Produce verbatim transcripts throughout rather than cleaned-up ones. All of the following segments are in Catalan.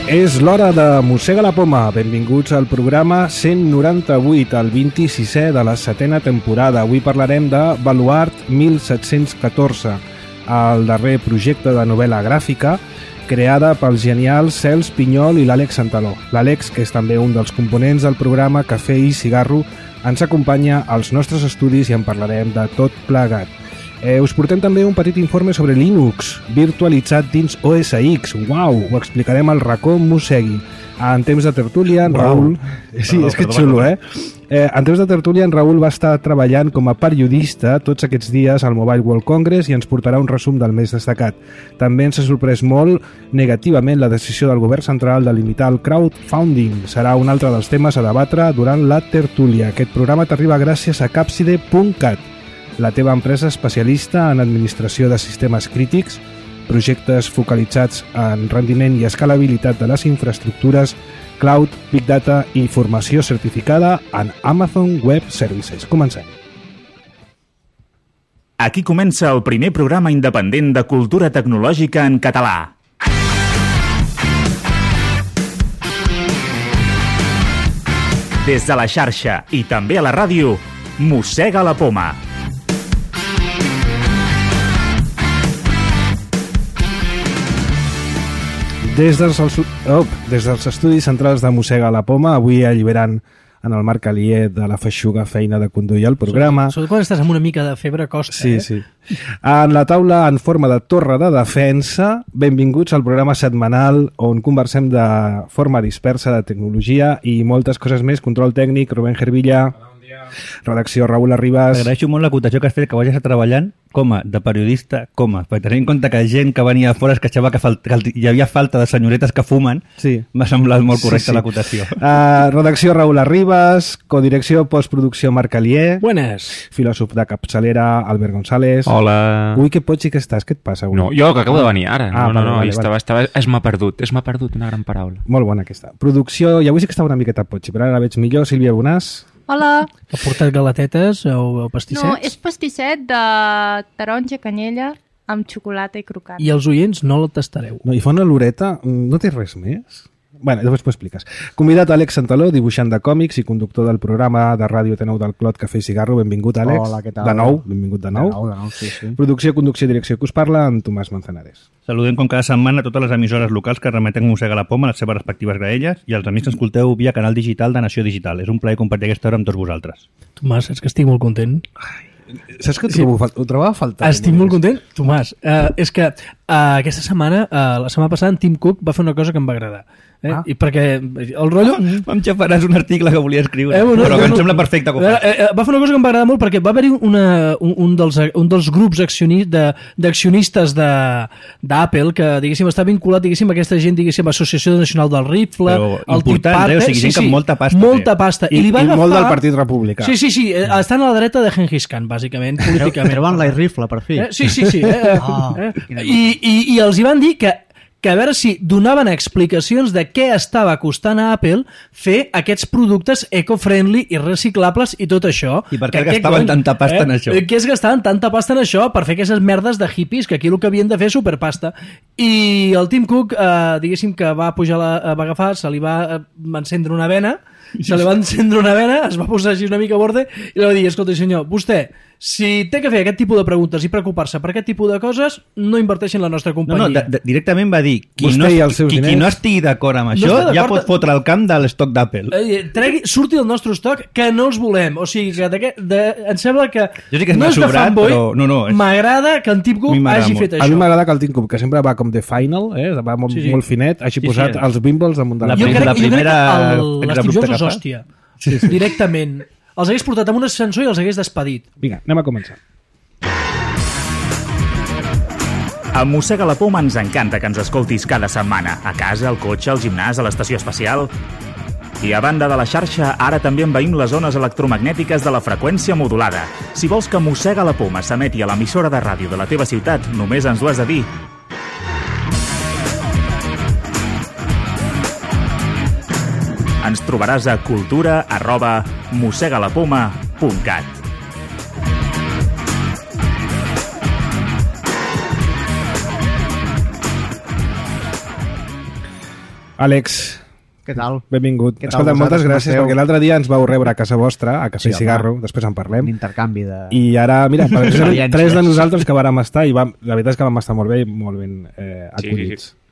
És l'hora de Mossega la Poma. Benvinguts al programa cent noranta-vuit, el vint-i-sisè de la setena temporada. Avui parlarem de Baluart mil set-cents catorze, el darrer projecte de novel·la gràfica creada pels genials Cels Pinyol i l'Àlex Santaló. L'Àlex, que és també un dels components del programa Cafè i Cigarro, ens acompanya als nostres estudis i en parlarem de tot plegat. Eh, us portem també un petit informe sobre Linux, virtualitzat dins O S X. Uau, ho explicarem al racó Mossegui. En temps de tertúlia, en Raül... Sí, és que xulo, eh? eh? En temps de tertúlia, en Raül va estar treballant com a periodista tots aquests dies al Mobile World Congress i ens portarà un resum del més destacat. També ens ha sorprès molt negativament la decisió del govern central de limitar el crowdfunding. Serà un altre dels temes a debatre durant la tertúlia. Aquest programa t'arriba gràcies a Capside punt cat, la teva empresa especialista en administració de sistemes crítics, projectes focalitzats en rendiment i escalabilitat de les infraestructures, cloud, big data i formació certificada en Amazon Web Services. Comencem. Aquí comença el primer programa independent de cultura tecnològica en català. Des de la xarxa i també a la ràdio, Mossega la Poma. Des dels, oh, des dels estudis centrals de Mossega la Poma, avui alliberant en el Marc Alier de la feixuga feina de conduir el programa. Sobretot quan estàs amb una mica de febre costa, sí, eh? Sí, sí. En la taula en forma de torre de defensa, benvinguts al programa setmanal on conversem de forma dispersa de tecnologia i moltes coses més. Control tècnic, Rubén Gervilla. Redacció, Raül Arribas. Agraeixo molt l'acotació que has fet, que vagis treballant com a de periodista, com a, perquè tenint en compte que gent que venia de fora es queixava que, fal... que hi havia falta de senyoretes que fumen, sí. M'ha semblat molt correcta sí, sí. l'acotació. Uh, redacció, Raül Arribas. Codirecció, postproducció, Marc Alier. Buenas. Filòsof de capçalera, Albert González. Hola. Ui, que potxi que estàs, què et passa avui? No, jo que acabo de venir ara. Ah, no, no, vale, no, vale, estava, vale. estava, es m'ha perdut, es m'ha perdut, una gran paraula. Molt bona aquesta. Producció, i avui sí que estava una miqueta potxi, però ara la veig millor. Sílvia Bonàs. Hola. Ha portat galatetes o, o pastissets? No, és pastisset de taronja canyella amb xocolata i crocant. I els oients no el tastareu. No, i fa una loreta, no té res més? Bueno, després m'ho expliques. Convidat Àlex Santaló, dibuixant de còmics i conductor del programa de ràdio T nou del Clot Cafè i Cigarro. Benvingut, Àlex. Hola, què tal? De nou, benvingut de nou. De nou, de nou, sí, sí. Producció, conducció i direcció que us parla, en Tomàs Manzanares. Saludem com cada setmana totes les emissores locals que remeten Mossega la Poma a les seves respectives graelles i els amics que escolteu via canal digital de Nació Digital. És un plaer compartir aquesta hora amb tots vosaltres. Tomàs, saps que estic molt content? Saps que ho, Sí. trobo, fal- ho trobava a faltar? Estic molt content. Tomàs, uh, és que uh, aquesta setmana, uh, la setmana passada, en Tim Cook va fer una cosa que em va agradar. Eh? Ah. I perquè el rotllo... Em xafaràs un article que volia escriure, Eh, bueno, però que no, em no, sembla perfecte com eh, eh, va fer una cosa que em va agradar molt perquè va haver-hi una, un, un, dels, un dels grups accioni, de, d'accionistes de, d'Apple que, diguéssim, està vinculat, diguéssim, a aquesta gent, diguéssim, Associació Nacional del Rifle, Però el important, Tea Party, eh? O sigui, gent que amb molta pasta molta té. pasta. I, li va i agafar... molt del Partit Republicà. Sí, sí, sí, eh, estan a la dreta de Genghis Khan, bàsicament, políticament. Treuen la rifle, per fi. Eh? Sí, sí, sí. Eh? Ah, eh? quina I, i, I els hi van dir que que a veure si donaven explicacions de què estava costant a Apple fer aquests productes eco-friendly i reciclables i tot això. I per què Que gastaven cony, tanta pasta en això? Què es gastaven tanta pasta en això per fer aquestes merdes de hippies, que aquí el que havien de fer és superpasta. I el Tim Cook, eh, diguéssim que va pujar, la, va agafar, se li va eh, encendre una vena, se li va encendre una vena, es va posar així una mica a borde i li va dir, escolta senyor, vostè, si té que fer aquest tipus de preguntes i preocupar-se per aquest tipus de coses, no inverteixi en la nostra No, companyia. no, de, de, directament va dir qui Vostè no, i els seus qui, qui diners. no estigui d'acord amb No això està ja d'acord. pot fotre el camp de l'estoc d'Apple. Eh, tregui, surti del nostre estoc que no els volem. O sigui, que de, de, em sembla que Jo sí que no m'ha és de sobrat, fanboy, però no, no, és- m'agrada que en Tim A Cook mi m'agrada hagi molt. fet A això. mi m'agrada que el Tim Cook, que sempre va com de final, eh? va molt, Sí, sí. molt finet, hagi Sí, sí, posat eh? els bimbles damunt de la, La Jo prim- crec, la jo crec primera que el- l'Steve exabrupte Jobs que és fa. hòstia. Sí, sí. Directament. Els hagués portat amb un ascensor i els hagués despedit. Vinga, anem a començar. A Mossega la Poma ens encanta que ens escoltis cada setmana, a casa, al cotxe, al gimnàs, a l'estació espacial. I a banda de la xarxa, ara també envaïm les zones electromagnètiques de la freqüència modulada. Si vols que Mossega la Poma s'emeti a l'emissora de ràdio de la teva ciutat, només ens ho has de dir. Ens trobaràs a cultura arroba mossegalapoma punt cat. Àlex, Què tal? benvingut. Què tal, Escolta, moltes vosaltres, com gràcies, esteu? perquè l'altre dia ens vau rebre a casa vostra, a Cafè Sí, i home. Cigarro, després en parlem. Un intercanvi de... I ara, mira, precisament Experiències. tres de nosaltres que vàrem estar, i vam, la veritat és que vam estar molt bé i molt ben eh, acollits. Sí, sí.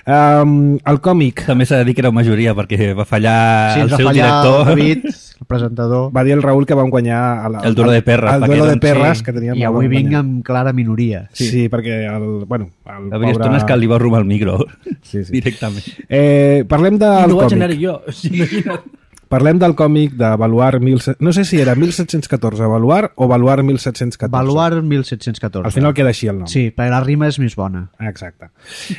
Um, el còmic També s'ha de dir que era majoria perquè va fallar Sí, el ens va seu fallar director. el David, el presentador, va dir el Raül que vam guanyar el, El duelo de perres, el perquè duelo de doncs, perres sí, que teníem. i el avui vam vinc guanyar. amb clara minoria. Sí, sí, perquè el, bueno, el Havia estones que li va robar el micro Sí, sí. directament. Eh, parlem del I no vaig còmic. anar jo. Imagina't. Parlem del còmic de Baluart mil set... No sé si era mil set-cents catorze Baluart o Baluart mil set-cents catorze. Baluart mil set-cents catorze. Al final queda així el nom. Sí, perquè la rima és més bona. Ah, exacte.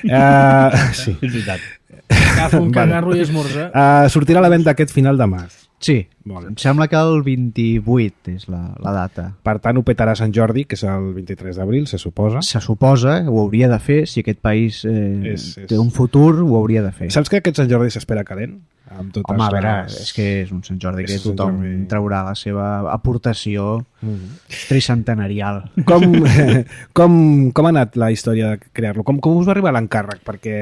Uh, sí. És veritat. Agafa un Vale. cagarro i esmorza. Uh, sortirà a la venda aquest final de març. Sí, Molt bé. em sembla que el vint-i-vuit és la, la data. Per tant, ho petarà Sant Jordi, que és el vint-i-tres d'abril, se suposa. Se suposa, ho hauria de fer, si aquest país eh, És- és- té un futur, ho hauria de fer. Saps que aquest Sant Jordi s'espera calent? Amb totes Home, a veure, les- és que és un Sant Jordi que És un tothom Jordi. traurà la seva aportació tricentenarial. Com, com, com ha anat la història de crear-lo? Com, com us va arribar l'encàrrec? Perquè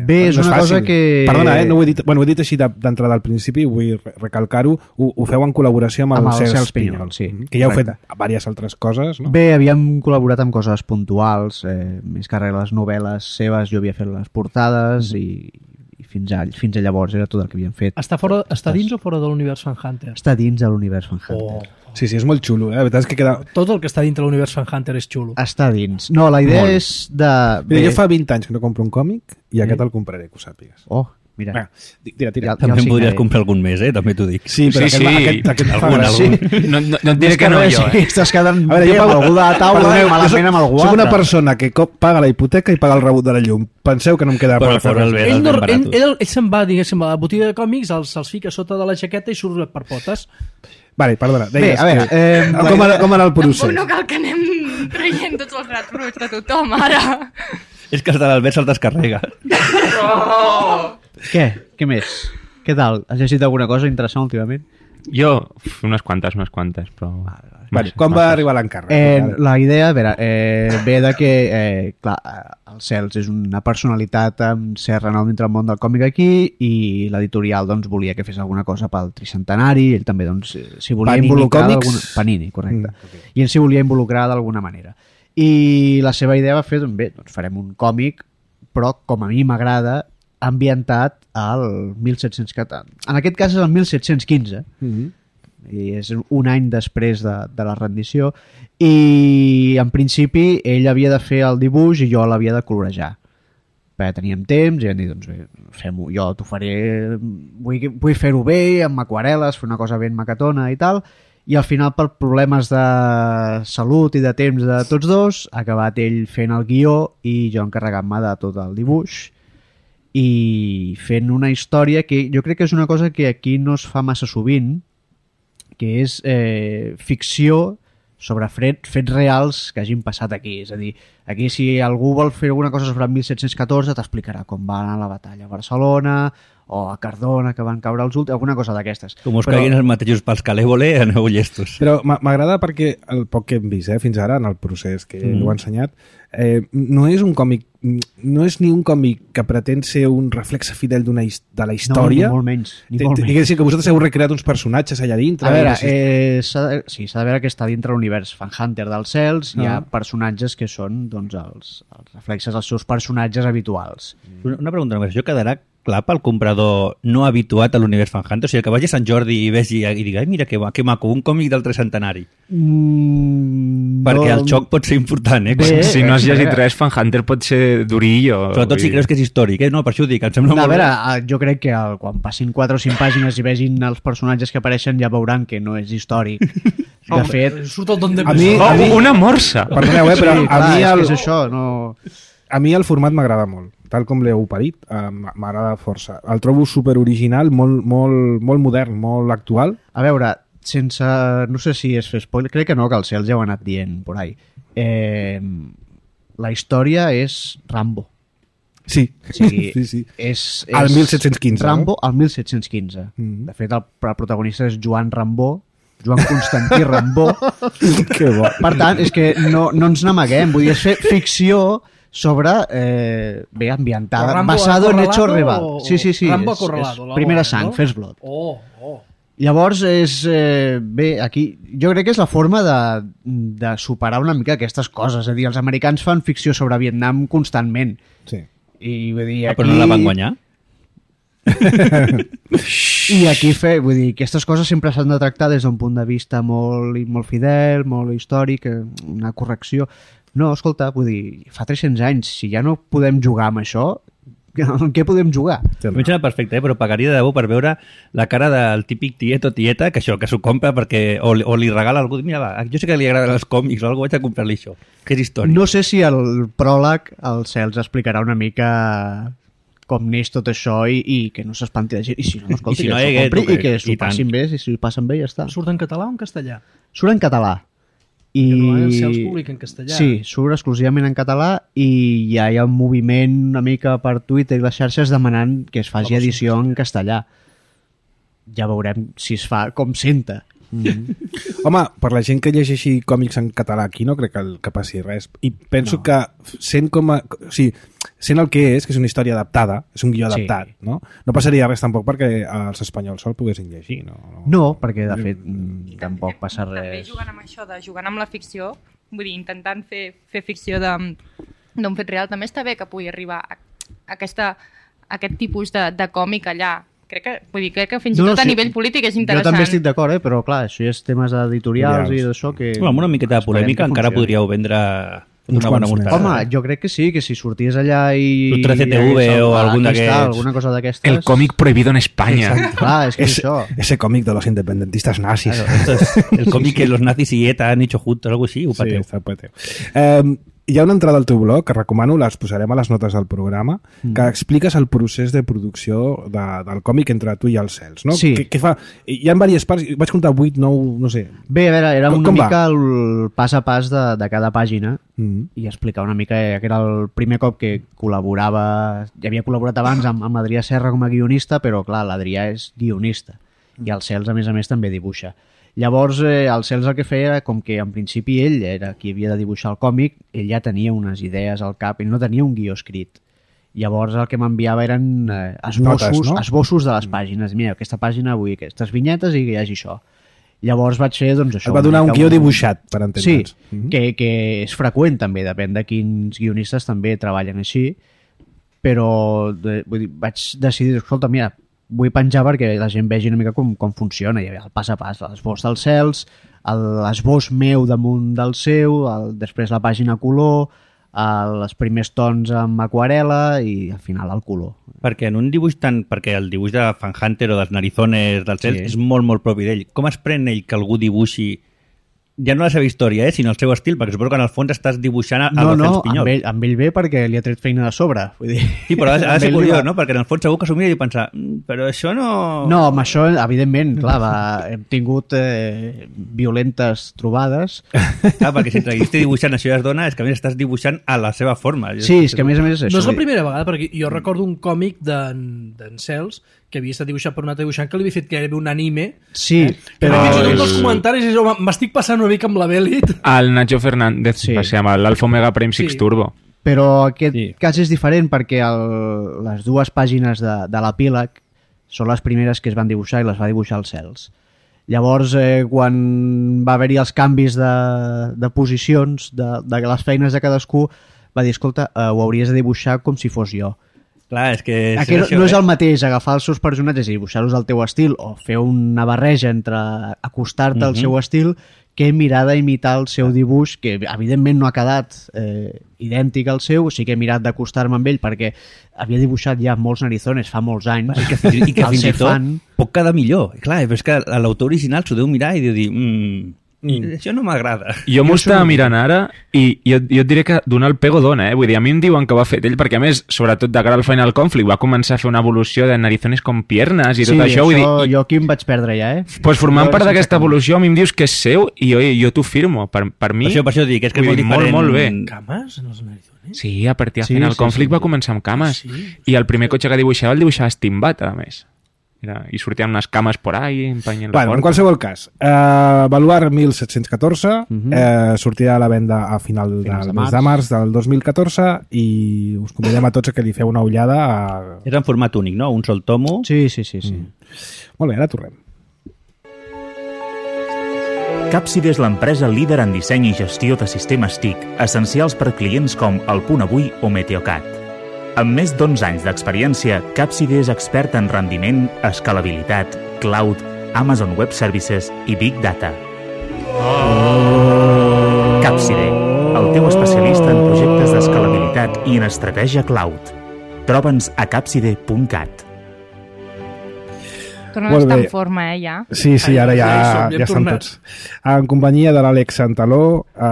Bé, és no una cosa fàcil. que- Perdona, eh? No ho he dit, bueno, ho he dit així de- d'entrada al principi, vull re- recalcar-ho. Ho, ho feu en col·laboració amb, Amb el el Cels Cels Pinyol, Pinyol, sí, que ja heu fet correcte. diverses altres coses, no? Bé, havíem col·laborat amb coses puntuals, eh, més que res les novel·les seves, jo havia fet les portades i, i fins, a, fins a llavors era tot el que havíem fet. Està, fora, està dins o fora de l'univers Fan Hunter? Està dins de l'univers Fan Hunter. Sí, sí, és molt xulo, eh? La veritat és que queda... Tot el que està dintre l'univers Fan Hunter és xulo. Està dins. No, la idea és de... Mira, jo fa vint anys que no compro un còmic i aquest el compraré, que ho sàpigues. Oh, mira. Va, tira, tira. Ja- També el en podries signaré. comprar algun més, eh? També t'ho dic. Sí, però Sí, aquest, sí. aquest, aquest fa Algun, gràcia. algun. No, no, no et diré que no, jo, Sí, eh? estàs quedant A veure, bé jo amb pago- algú de la taula Perdoneu, i malament jo amb algú soc una altre. persona que cop paga la hipoteca i paga el rebut de la llum. Penseu que no em queda Però per fer fora el res. bé. Ell, dels no, ben ell, baratos. ell, ell se'n va, diguéssim, a la botiga de còmics, els, els fica sota de la jaqueta i surt per potes. Vale, perdona. Bé, Deies a veure, que- eh, com, era, com era el procés? Tampoc no cal que anem traient tots els rats bruts de tothom, ara. És que els de l'Albert se'ls descarrega. què? Què més? Què tal? Has llegit alguna cosa interessant últimament? Jo, uf, unes quantes, unes quantes, però... Vale, com va arribar l'encàrrec? Eh, Ara. la idea, a veure, eh, ve de que, eh, clar, eh, el Cels és una personalitat amb cert renom dintre el món del còmic aquí i l'editorial doncs, volia que fes alguna cosa pel tricentenari, ell també doncs, eh, s'hi volia Panini involucrar Comics? d'alguna... Panini, correcte. Mm, ok. I ell s'hi volia involucrar d'alguna manera. I la seva idea va fer, doncs bé, doncs farem un còmic, però com a mi m'agrada, ambientat al mil set-cents catorze. En aquest cas és el mil set-cents quinze, Mhm. i és un any després de, de la rendició, i en principi ell havia de fer el dibuix i jo l'havia de colorejar, perquè teníem temps i vam dir, doncs bé, fem-ho, jo t'ho faré, vull, vull fer-ho bé, amb aquarel·les, fer una cosa ben macatona i tal, i al final per problemes de salut i de temps de tots dos ha acabat ell fent el guió i jo encarregant-me de tot el dibuix i fent una història que jo crec que és una cosa que aquí no es fa massa sovint, que és eh, ficció sobre fets, fets reals que hagin passat aquí. És a dir, aquí si algú vol fer alguna cosa sobre el mil set-cents catorze t'explicarà com va anar la batalla a Barcelona o a Cardona, que van caure els últims, alguna cosa d'aquestes. Com us Però- caiguin els mateixos pels calèvole, aneu llestos. Però m'a- m'agrada perquè el poc que hem vist eh, fins ara en el procés que mm. ho ha ensenyat eh, no és un còmic no és ni un còmic que pretén ser un reflexe fidel d'una his- de la història. No, ni molt menys. Ni Té- molt té- menys. Diguéssim que vosaltres heu recreat uns personatges allà dintre. A veure, i- eh, s'ha de, sí, s'ha de veure que està dintre l'univers Fan Hunter dels Cels, hi ha Ah. personatges que són doncs, els, els reflexes dels seus personatges habituals. Una, una pregunta només. Això quedarà clar pel comprador no habituat a l'univers Fan Hunter? O sigui, que vagi a Sant Jordi i vegi i digui, ai, mira que, que maco, un còmic del tricentenari. Mm, Perquè no- el xoc pot ser important, eh? Bé, Si no has a llegit veure. res, Fan Hunter pot ser durillo. Sobretot si vull creus dir. que és històric, eh? No, per això ho dic, em sembla A molt veure, bé. eh, jo crec que el, quan passin quatre o cinc pàgines i vegin els personatges que apareixen ja veuran que no és històric. De fet... Surt el don de A mi- Oh, a mi- una morsa! Perdoneu, eh, però sí, a clar, mi és el, que és això, no... a mi el format m'agrada molt, tal com l'heu parit, eh, m'agrada força. El trobo super original, molt, molt, molt modern, molt actual. A veure, sense... No sé si és fer spoiler, crec que no, que el Cels ja ho ha anat dient por ahí. Eh, la història és Rambo. Sí, O sigui, sí, sí. És, és Al mil set-cents quinze, Rambo al mil set-cents quinze. Mhm. De fet, el, el protagonista és Joan Rambó, Joan Constantí Rambó. Que bo. Per tant, és que no, no ens n'amaguem. Vull dir, és fer ficció sobre, eh, bé, ambientada, Rambo basado en hechos Acorralado real. o- Sí, sí, sí. Rambo és, Acorralado, és la primera bona, sang, no? First Blood. Oh, oh. Llavors, és, eh, bé, aquí, jo crec que és la forma de, de superar una mica aquestes coses. És a dir, els americans fan ficció sobre Vietnam constantment. Sí. I vull dir, Ah, aquí... però no la van guanyar? I aquí fer, vull dir, aquestes coses sempre s'han de tractar des d'un punt de vista molt, molt fidel, molt històric, eh, una correcció. No, escolta, vull dir, fa tres-cents anys, si ja no podem jugar amb això, en què podem jugar? A mi em sembla perfecte, eh? Però pagaria de debò per veure la cara del típic tiet o tieta que això, que s'ho compra perquè o, o li regala algú. Mira, va, jo sé que li agraden els còmics o algú, vaig a comprar-li això. Que és històric. No sé si el pròleg el Cels explicarà una mica com neix tot això i, i que no s'espanti la gent. I si no, escolta, I si no, que s'ho eh, compri que- i que i s'ho tant. passin bé, i si ho passen bé ja està. Surt en català o en castellà? Surt en català. I... Que normalment el Cels publica en castellà. Sí, surt exclusivament en català i ja hi ha un moviment una mica per Twitter i les xarxes demanant que es faci La versió edició en castellà. Ja veurem si es fa com senta. Mm. Home, per la gent que llegeixi còmics en català aquí no crec que, que passi res. I penso No. que sent com a... O sigui, sent el que és, que és una història adaptada, és un guió Sí. adaptat, no? No passaria res tampoc perquè els espanyols se'l poguessin llegir, no? No, perquè de fet mm, tampoc passa També res. jugant amb això, de jugant amb la ficció, vull dir, intentant fer, fer ficció de- d'un fet real, també està bé que pugui arribar a, a, aquesta, a aquest tipus de, de còmic allà. Crec que, vull dir, crec que fins i No, no, tot a sí. nivell polític és Jo interessant. també estic d'acord, eh? Però clar, això ja és temes editorials i d'això que... Home, amb una miqueta de esperem polèmica que encara funcioni. podríeu vendre Uns una bona quants més. mostarda. Home, jo crec que sí, que si sorties allà i... El tres C T V i hagués o el- algun aquí està, d'aquests. alguna cosa d'aquestes... El còmic prohibido en España. Clar, és que és Ese, això. ese cómic de los independentistas nazis. Claro, esto es el cómic que los nazis y ETA han hecho juntos, algo así, ho Sí, pateu. està pateu. Eh, hi ha una entrada al teu blog que recomano, les posarem a les notes del programa, Mm. que expliques el procés de producció de, del còmic entre tu i els Cels, no? Sí. Què, què fa? Hi ha diverses parts, vaig comptar vuit, nou, no sé. Bé, a veure, era Com- una com va? mica el pas a pas de, de cada pàgina Mm. i explicar una mica que era el primer cop que col·laborava, ja havia col·laborat abans amb, amb l'Adrià Serra com a guionista, però clar, l'Adrià és guionista i el Cels a més a més també dibuixa. Llavors eh, el Cels el que feia era com que en principi ell era qui havia de dibuixar el còmic, ell ja tenia unes idees al cap, ell no tenia un guió escrit. Llavors el que m'enviava eren eh, esbossos, Notes, no? esbossos de les pàgines. Mira, aquesta pàgina vull aquestes vinyetes i que hi hagi això. Llavors vaig fer doncs, això. Et va donar una un mica guió dibuixat, per entendre'ns. Sí, mm -hmm. que, que és freqüent també, depèn de quins guionistes també treballen així, però de, vull dir, vaig decidir, escolta, mira, vull penjar perquè la gent vegi una mica com, com funciona, hi havia el pas a pas, l'esbós dels Cels, el- l'esbós meu damunt del seu, el, després la pàgina color, el, els primers tons amb aquarela i al final el color. Perquè en un dibuix tan... Perquè el dibuix de Fan Hunter o dels narizones del cel Sí. és molt, molt propi d'ell. Com es pren ell que algú dibuixi ja no la seva història, eh, sinó el seu estil? Perquè suposo que en el fons estàs dibuixant a, a No, los no, Cels Pinyol. amb ell, amb ell bé perquè li ha tret feina de sobre. Vull dir, Sí, però ha, de- ha amb de ser ell li curiós, va- no? Perquè en el fons segur que s'ho mira i pensa "Mm, però això no... No, amb això, evidentment, clar, va, hem tingut eh, violentes trobades. Clar, perquè si estàs dibuixant això ja es dona, és que a més estàs dibuixant a la seva forma. Sí, és que a més a més és No això. és la primera vegada, perquè jo recordo un còmic d'en d'en Cels que havia estat dibuixat per un altre dibuixant que li havia fet gairebé un anime. Sí, Però però... fins i tot el- els comentaris és, home, m'estic passant una mica amb la Bèlit. El Nacho Fernández, Sí. sí. va ser amb l'Alfa Omega Prime Six Sí. Turbo. Però aquest Sí. sí. cas és diferent perquè el, les dues pàgines de, de l'epíleg són les primeres que es van dibuixar i les va dibuixar els Cels. Llavors, eh, quan va haver-hi els canvis de, de posicions de, de les feines de cadascú, va dir, escolta, eh, ho hauries de dibuixar com si fos jo. Clar, és que... És Aquí no, això, no és eh? el mateix agafar els seus personatges i dibuixar-los al teu estil o fer una barreja entre acostar-te al Mhm. seu estil que mirar d'imitar el seu dibuix, que evidentment no ha quedat eh, idèntic al seu, sí que he mirat d'acostar-me amb ell perquè havia dibuixat ja molts narizones fa molts anys. I que, fins- i que Al fins i ser tot fan- pot quedar millor. Clar, però és que l'autor original s'ho deu mirar i deu dir mm, mm. això no m'agrada. Jo m'ho estava mirant ara i jo, jo et diré que donar el pego dona, eh? Vull dir, a mi em diuen que ho ha fet ell perquè, a més, sobretot de cara al Final Conflict, va començar a fer una evolució de narizones com piernes i sí, tot això. Vull dir, i, jo aquí em vaig perdre ja, eh? pues formant Jo part sense d'aquesta cap- evolució, a mi em dius que és seu i oi, jo t'ho firmo. Per, per mi, Per això, per això dic, és que és vull molt dir, diferent. molt, molt bé. Cames en els narizones? Sí, a partir de Sí, Final sí, Conflict sí. va començar amb cames. Sí. I el primer cotxe que dibuixava el dibuixava Steambat, a més. Era, I sortien unes cames por ahí, empenyent la Bueno, en porta. qualsevol cas, uh, Baluart disset deu quatre Mhm. uh, eh, sortirà a la venda a final Finals del de mes de març del dos mil catorze i us convidem a tots a que li feu una ullada a... Era en format únic, no? Un sol tomo. Sí, sí, sí. sí. Mm. Molt bé, ara tornem. Capside és l'empresa líder en disseny i gestió de sistemes T I C, essencials per clients com El Punt Avui o Meteocat. Amb més d'onze anys d'experiència, Capside és expert en rendiment, escalabilitat, cloud, Amazon Web Services i Big Data. Oh. Capside, el teu especialista en projectes d'escalabilitat i en estratègia cloud. Troba'ns a capside punt cat. Tornem a Molt estar bé. en forma, eh, ja. Sí, sí, ara ja, Ja hi som, ja hem ja estan tornat. tots. En companyia de l'Àlex Santaló, eh,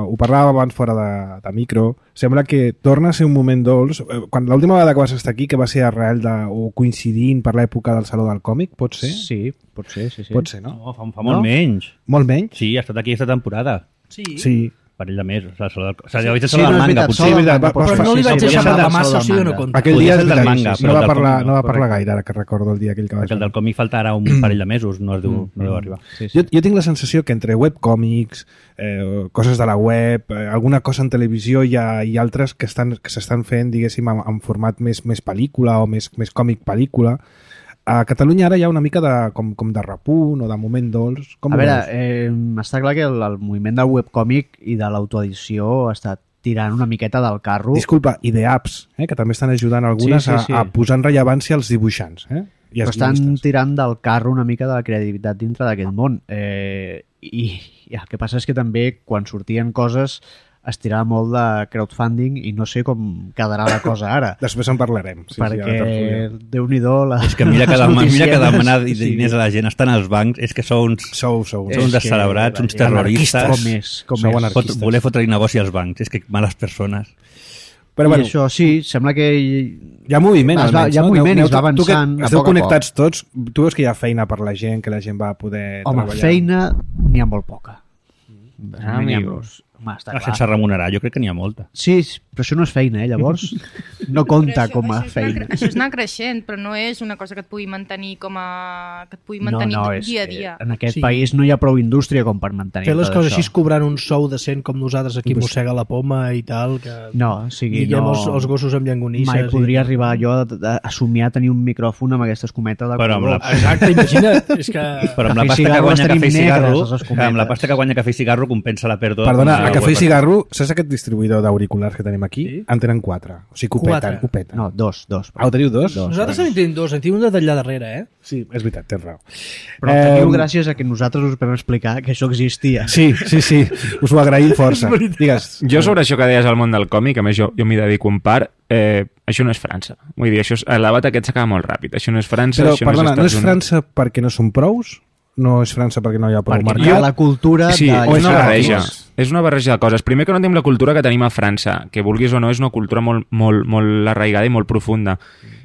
ho parlàvem abans fora de, de micro, sembla que torna a ser un moment dolç. Eh, Quan l'última vegada que vas estar aquí, que va ser arrel de, o coincidint per l'època del Saló del Còmic, pot ser? Sí, pot ser, sí, sí. Pot ser, no? No, fa, fa molt No? menys. Molt menys? Sí, ha estat aquí aquesta temporada. Sí. Sí. Parell de mesos. O sigui, o sigui, vaig a Sí, saludar no, el és manga, veritat, potser. sol del veritat, manga, va- pot va- ser. sí, Però no li sí, vaig sí, deixar sí, parlar sí, massa, o del sigui, no manga. compta. Aquell Podria dia ser és el del veritat, manga, sí, sí. però no, va del parlar, còmic no va no, parlar correcte. gaire, ara que recordo el dia aquell que va Perquè el del còmic falta ara un parell de mesos, no es deu, no deu arribar. Sí, sí. Jo, jo tinc la sensació que entre webcòmics, eh, coses de la web, eh, alguna cosa en televisió i, ha, i altres que estan que s'estan fent, diguéssim, en, en format més, més pel·lícula o més, més còmic-pel·lícula, a Catalunya ara hi ha una mica de, com, com de repunt o de moment dolç. Com A ho veure, veus? eh, està clar que el, el moviment del webcòmic i de l'autoedició està tirant una miqueta del carro. Disculpa, i d'apps, eh, que també estan ajudant algunes Sí, sí, sí. A, a posar en rellevància els dibuixants. Eh? I Però els estan guionistes. tirant del carro una mica de la credibilitat dintre d'aquest món. Eh, i, I el que passa és que també quan sortien coses es tirava molt de crowdfunding i no sé com quedarà la cosa ara. Després en parlarem. Sí, perquè, sí, a la tertúlia. Déu-n'hi-do... La, És que mira que, les dema, mira que notícies, demanar sí. diners a la gent estan als bancs, és que sou uns, Sou, sou. sou uns És que descelebrats, la uns gent- terroristes. Com és? Com Sou és? anarquistes. Fot, voler fotre negoci als bancs, és que males persones. Però I bueno, això sí, sembla que... hi ha moviment, Es va- almenys, hi ha no? moviment i es va tu- tu que avançant a esteu poc a connectats tots, tu veus que hi ha feina per la gent, que la gent va poder Home, treballar. feina n'hi ha molt poca. Ah, N'hi ha amigo. molts. Home, està Ah, clar. sense remunerar, jo crec que n'hi ha molta. Sí, però això no és feina, eh? Llavors no compta Però això- com a això és anar feina. cre- Això és anar creixent, però no és una cosa que et pugui mantenir com a... que et pugui No, mantenir no, és dia a que dia. en aquest Sí. país no hi ha prou indústria com per mantenir Fer les tot coses això. així cobrant un sou decent com nosaltres aquí Pues- mossega la poma i tal, que No, o sigui, lliguem no... els, els gossos amb llangonisses. Mai podria i... arribar jo a, a, a somiar tenir un micròfon amb aquesta escometa de Però amb color. la- Exacte, imagina't. És que... Però amb la Cafè i pasta que cigarro guanya les Cafè i tenim Cigarro, negres, les escometes. amb la pasta que guanya Cafè i Cigarro compensa la pèrdua. Perdona, a Ah, Cafè i web. Cigarro, saps aquest distribuïdor d'auriculars que tenim aquí? Sí. En tenen quatre. O sigui, que ho peten, Quatre. ho peten. No, dos, dos. Ah, ho teniu dos? Dos. Nosaltres també en tenim dos, en tenim un d'allà darrere, eh? Sí, és veritat, tens raó. Però el teniu Em, gràcies a que nosaltres us vam explicar que això existia. Sí, sí, sí, us ho agraïm força. Digues. Jo sobre això que deies al món del còmic, a més jo, jo m'hi dedico un part, eh, això no és França. Vull dir, això és, el debat aquest s'acaba molt ràpid. Això no és França, Però, això perdona, no no és és Estats Units. França perquè no són prous? No és França perquè no hi ha prou Perquè mercat? hi ha la cultura Sí, de... o és una llegir barreja. còmics. És una barreja de coses. Primer que no tenim la cultura que tenim a França, que vulguis o no és una cultura molt, molt, molt arraigada i molt profunda.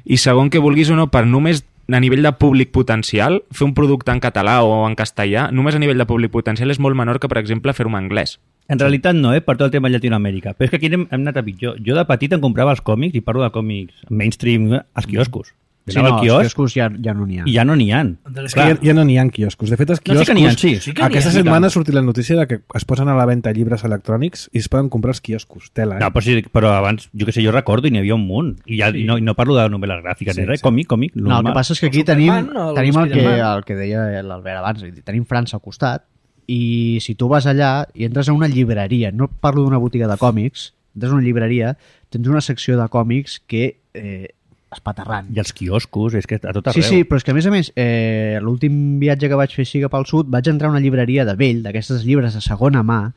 I segon, que vulguis o no, per només a nivell de públic potencial, fer un producte en català o en castellà, només a nivell de públic potencial és molt menor que, per exemple, fer-ho en anglès. En realitat no, eh? Per tot el tema de Llatinoamèrica. Però és que aquí hem, hem anat a pitjor. Jo de petit em comprava els còmics, i parlo de còmics mainstream, eh, als quioscos. Sí, Anava no, al els quiosc quioscos ja, ja no n'hi ha. i ja no n'hi ha. És que ja, ja no n'hi ha quioscos. De fet, els No, sí quioscos... que n'hi ha, sí. Sí que n'hi ha. Aquesta Sí que- setmana ha sortit la notícia de que es posen a la venda llibres electrònics i es poden comprar els quioscos. Tela, eh? No, però, sí, però abans, jo que sé, jo recordo i n'hi havia un munt. I, ja, sí. i, no, i no parlo de novel·les gràfiques, Sí, ni res, sí. còmic, còmic. No, el normal. que passa és que aquí El tenim, Superman o el tenim el, que, Spiderman. el que deia l'Albert abans, és a dir, tenim França al costat i si tu vas allà i entres a una llibreria, no parlo d'una botiga de còmics, entres a una llibreria, tens una secció de còmics que eh, espaterrant. I els quioscos, és que a tot arreu. Sí, sí, però és que a més a més, eh, l'últim viatge que vaig fer així cap al sud, vaig entrar a una llibreria de vell, d'aquestes llibres de segona mà,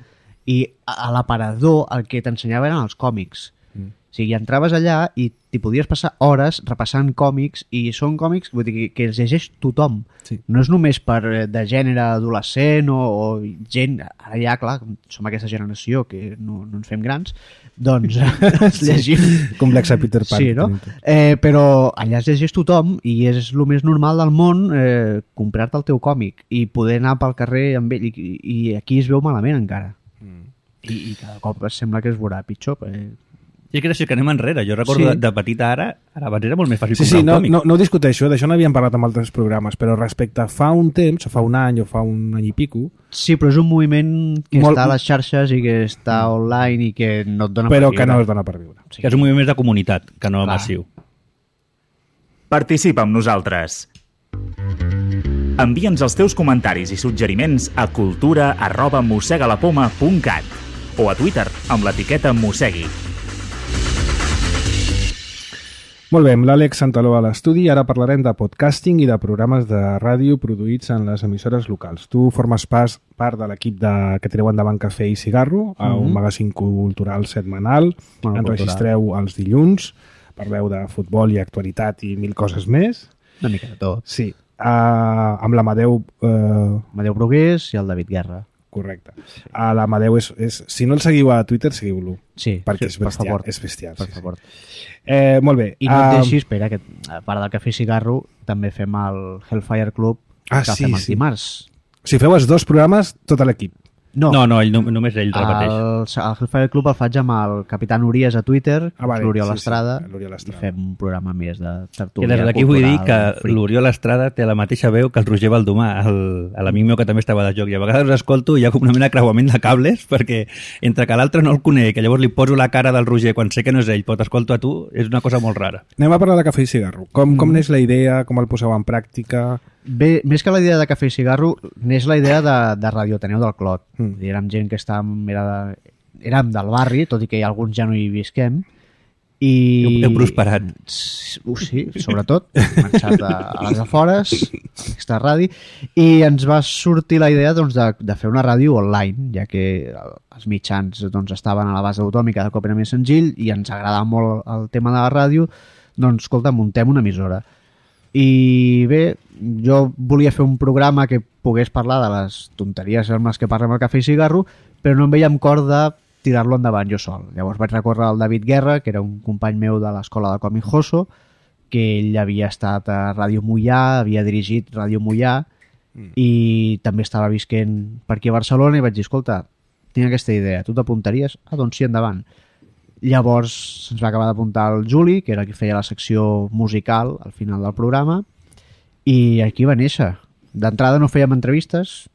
i a, a l'aparador el que t'ensenyava eren els còmics. Mm. O sigui, entraves allà i t'hi podies passar hores repassant còmics, i són còmics vull dir, que, que els llegeix tothom. Sí. No és només per eh, de gènere adolescent o, o gent... Ara ja, clar, som aquesta generació que no, no ens fem grans, doncs es llegim... Complex a Peter Pan. Sí, que no? tenim tots. Eh, però allà es llegeix tothom i és el més normal del món eh, comprar-te el teu còmic i poder anar pel carrer amb ell i, i aquí es veu malament encara. Mm. I, i cada cop sembla que es veurà pitjor. Eh, I és que és que anem enrere. Jo recordo Sí. de, de petita ara, ara abans era molt més fàcil Sí, comprar sí, un no, còmic. no, no ho discuteixo, d'això n'havíem parlat amb altres programes, però respecte a fa un temps, o fa un any o fa un any i pico, Sí, però és un moviment que Molt- està a les xarxes i que està online i que no et dona però per que viure. no es dona per viure. Sí. Que és un moviment més de comunitat, que no Clar. massiu. Participa amb nosaltres. Envia'ns els teus comentaris i suggeriments a cultura arroba mossegalapoma punt cat o a Twitter amb l'etiqueta mossegui. Molt bé, amb l'Àlex Santaló a l'estudi, ara parlarem de podcasting i de programes de ràdio produïts en les emissores locals. Tu formes pas, part de l'equip de, que tireu endavant Cafè i Cigarro, a un Mhm. magazín cultural setmanal, Bueno, enregistreu els dilluns, parleu de futbol i actualitat i mil coses més. Una mica de tot. Sí, uh, amb l'Amadeu... Uh, Amadeu Brugués i el David Guerra. correcte. A l'Amadeu és, és... Si no el seguiu a Twitter, seguiu-lo. Sí, Perquè sí, és per bestial. favor. És bestial, Per sí, sí. favor. Eh, molt bé. I no et ah, deixis, espera, que a part del Cafè i Cigarro també fem el Hellfire Club Ah, que sí, fem els sí. dimarts. Si feu els dos programes, tot l'equip. No, No, no, ell, no només ell repeteix. el, el Hellfire Club el faig amb el Capitán Urias a Twitter, Ah, vale, l'Oriol sí, sí, Estrada, l'Oriol i Estrada. fem un programa més de Que tertúlia des d'aquí vull dir que cultural, fric. l'Oriol Estrada té la mateixa veu que el Roger Baldomà, el- l'amic meu que també estava de joc. I a vegades escolto i hi ha com una mena de creuament de cables perquè entre que l'altre no el conec, que llavors li poso la cara del Roger quan sé que no és ell, però t'escolto a tu, és una cosa molt rara. Anem a parlar de Cafè i Cigarro. Com, Mm. com n'és la idea, com el poseu en pràctica? Bé, més que la idea de Cafè i Cigarro, n'és la idea de, de Radio Ateneu del Clot. Mm. Mm. Érem gent que estàvem, era de, érem del barri, tot i que alguns ja no hi visquem, i... Heu- heu prosperat. S- Uh, sí, sobretot. Hem marxat a, a les afores, a aquesta ràdio, i ens va sortir la idea doncs, de, de fer una ràdio online, ja que els mitjans doncs, estaven a la base d'autòmic, cada cop era més senzill, i ens agradava molt el tema de la ràdio, doncs, escolta, muntem una emissora. I bé, jo volia fer un programa que pogués parlar de les tonteries amb les que parlem al Cafè i Cigarro, però no em veia amb cor de tirar-lo endavant jo sol. Llavors vaig recórrer al David Guerra, que era un company meu de l'escola de còmic Joso, que ell havia estat a Ràdio Mollà, havia dirigit Ràdio Mollà, mm. i també estava visquent per aquí a Barcelona, i vaig dir, escolta, tinc aquesta idea, tu t'apuntaries? Ah, doncs sí, endavant. Llavors ens va acabar d'apuntar el Juli, que era qui feia la secció musical al final del programa, i aquí va néixer. D'entrada no fèiem entrevistes,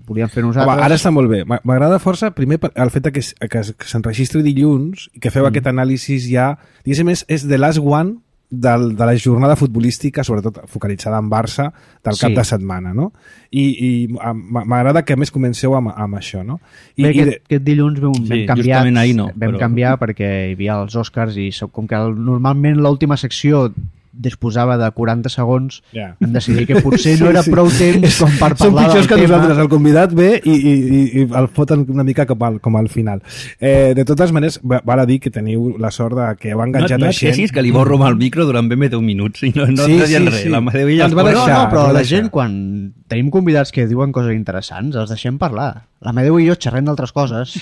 volíem fer nosaltres... Home, ara està molt bé. M'a- M'agrada força, primer, per- el fet de que, s- que, s- que s'enregistri dilluns i que feu mm. aquest anàlisi ja... Diguéssim, és, és the last one del, de la jornada futbolística, sobretot focalitzada en Barça, del Sí. cap de setmana, no? I, i a- m'a- m'agrada que a més comenceu amb, amb això, no? I, Bé, i aquest, de- aquest dilluns vam, Sí, vam canviar, justament ahir no, vam però- canviar perquè hi havia els Oscars i so- com que el, normalment l'última secció disposava de quaranta segons, Ja. hem decidit que potser no era prou temps com per Són parlar pitjors del que tema. nosaltres. El convidat ve i, i, i, i el foten una mica com al, com al final. Eh, de totes maneres, va- val a dir que teniu la sort de que heu No, enganxat no a et gent... queixis que li borro amb el micro durant ben bé deu minuts i no, no Sí, et dient sí, res. sí. La Amadeu i Ens va No, deixar, no, però ens va la deixar. gent, quan tenim convidats que diuen coses interessants, els deixem parlar. L'Amadeu i jo xerrem d'altres coses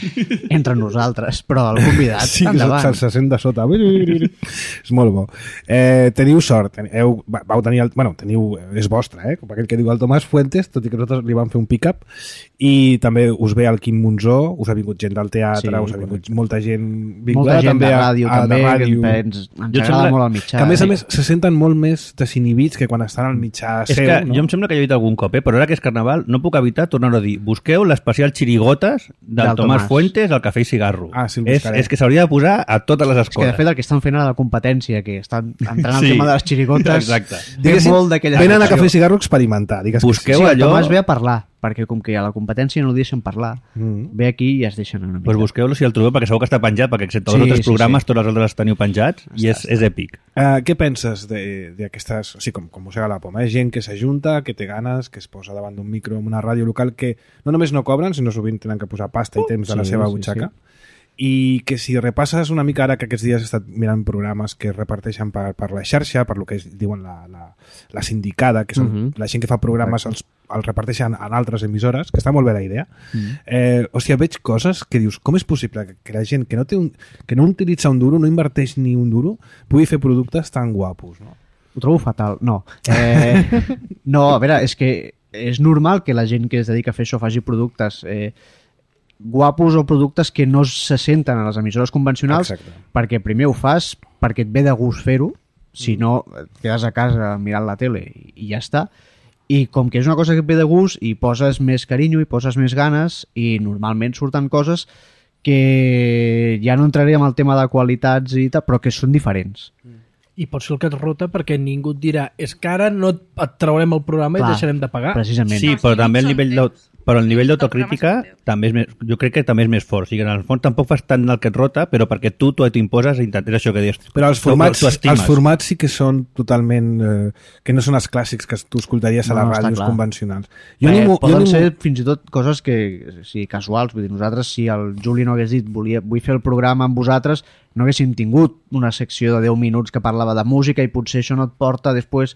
entre nosaltres, però el convidat, Sí, endavant. se'l se sent de sota. És molt bo. Eh, teniu sort. Ten- Heu, va- vau tenir el, bueno, teniu, és vostre, eh? Com aquell que diu el Tomàs Fuentes, tot i que nosaltres li vam fer un pick-up. I també us ve el Quim Monzó, us ha vingut gent del teatre, Sí, us ha vingut correcte. molta gent Molta vinculada gent també de a- ràdio, a, també, de que ràdio. ens, ens Jo agrada sembla molt el mitjà. Que a més a Sí. més se senten molt més desinhibits que quan estan al mitjà És seu, que no? jo em sembla que jo he dit algun cop, eh? Però ara que és Carnaval no puc evitar tornar-ho a dir. Busqueu l'especial Chirigotes del, Del Tomàs Tomàs. Fuentes al Cafè i Cigarro. Ah, sí, el és, buscaré. és que s'hauria de posar a totes les És que de escoles. fet el que estan fent ara la competència, que estan entrant al Sí. tema de les xirigotes, Exacte. té Diguéssim, molt d'aquella venen a secció. Cafè i Cigarro a experimentar. Digues que Busqueu Sí, el allò- Tomàs ve a parlar, perquè com que a la competència no el deixen parlar, Mm. ve aquí i es deixen una mica. Pues busqueu-lo si el trobeu, perquè segur que està penjat, perquè excepte els Sí, altres sí, programes, sí. tots els altres els teniu penjats, i és, és èpic. Uh, què penses de- d'aquestes, o sigui, com, com mossega la poma, eh? Gent que s'ajunta, que té ganes, que es posa davant d'un micro en una ràdio local que no només no cobren, sinó sovint tenen que posar pasta i temps de la sí, seva sí, butxaca. I que si repasses una mica ara que aquests dies he estat mirant programes que es reparteixen per, per la xarxa, per lo que es diuen la, la, la sindicada, que són Mhm. la gent que fa programes els, els reparteixen en altres emissores, que està molt bé la idea. Eh, o sigui, veig coses que dius, com és possible que, que la gent que no, té un, que no utilitza un duro, no inverteix ni un duro, pugui fer productes tan guapos, no? Ho trobo fatal. No. Eh, no, a veure, és que és normal que la gent que es dedica a fer això faci productes. Eh, guapos o productes que no se senten a les emissores convencionals. Exacte. Perquè primer ho fas perquè et ve de gust fer-ho, si no et quedes a casa mirant la tele i, i ja està, i com que és una cosa que et ve de gust i poses més carinyo i poses més ganes i normalment surten coses que ja no entraré en el tema de qualitats i tal, però que són diferents. I pot ser el que et rota perquè ningú et dirà és que ara no et, et traurem el programa Clar, i deixarem de pagar. Precisament. Sí, però també el nivell de, però el nivell d'autocrítica El programa també és més, jo crec que també és més fort. O sigui, en el fons tampoc fas tant el que et rota, però perquè tu t'ho imposes i intentes això que dius. Però els tu- formats, tu estimes. els formats sí que són totalment... Eh, que no són els clàssics que tu escoltaries a No, les està ràdios clar. convencionals. Jo Eh, ni m'ho- jo poden ni m'ho- ser fins i tot coses que, sí, casuals. Vull dir, nosaltres, si el Juli no hagués dit volia, vull fer el programa amb vosaltres, no haguéssim tingut una secció de deu minuts que parlava de música i potser això no et porta després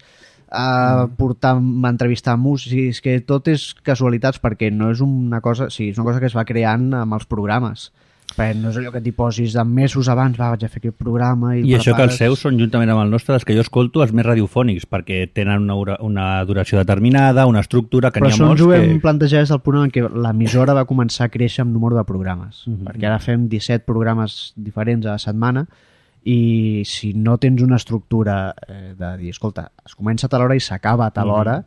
a portar a entrevistar músics. És que tot és casualitats perquè no és una cosa, sí, és una cosa que es va creant amb els programes. Perquè no és allò que t'hi posis de mesos abans, va, vaig a fer aquest programa i, I això que els prepares- seus són, juntament amb el nostre, els que jo escolto, els més radiofònics, perquè tenen una, hora- una duració determinada, una estructura, que Però n'hi ha això ens molts ho hem que... plantejat des del punt en què l'emissora va començar a créixer amb número de programes, uh -huh. perquè ara fem disset programes diferents a la setmana i si no tens una estructura eh, de dir, escolta, es comença a tal hora i s'acaba a tal hora,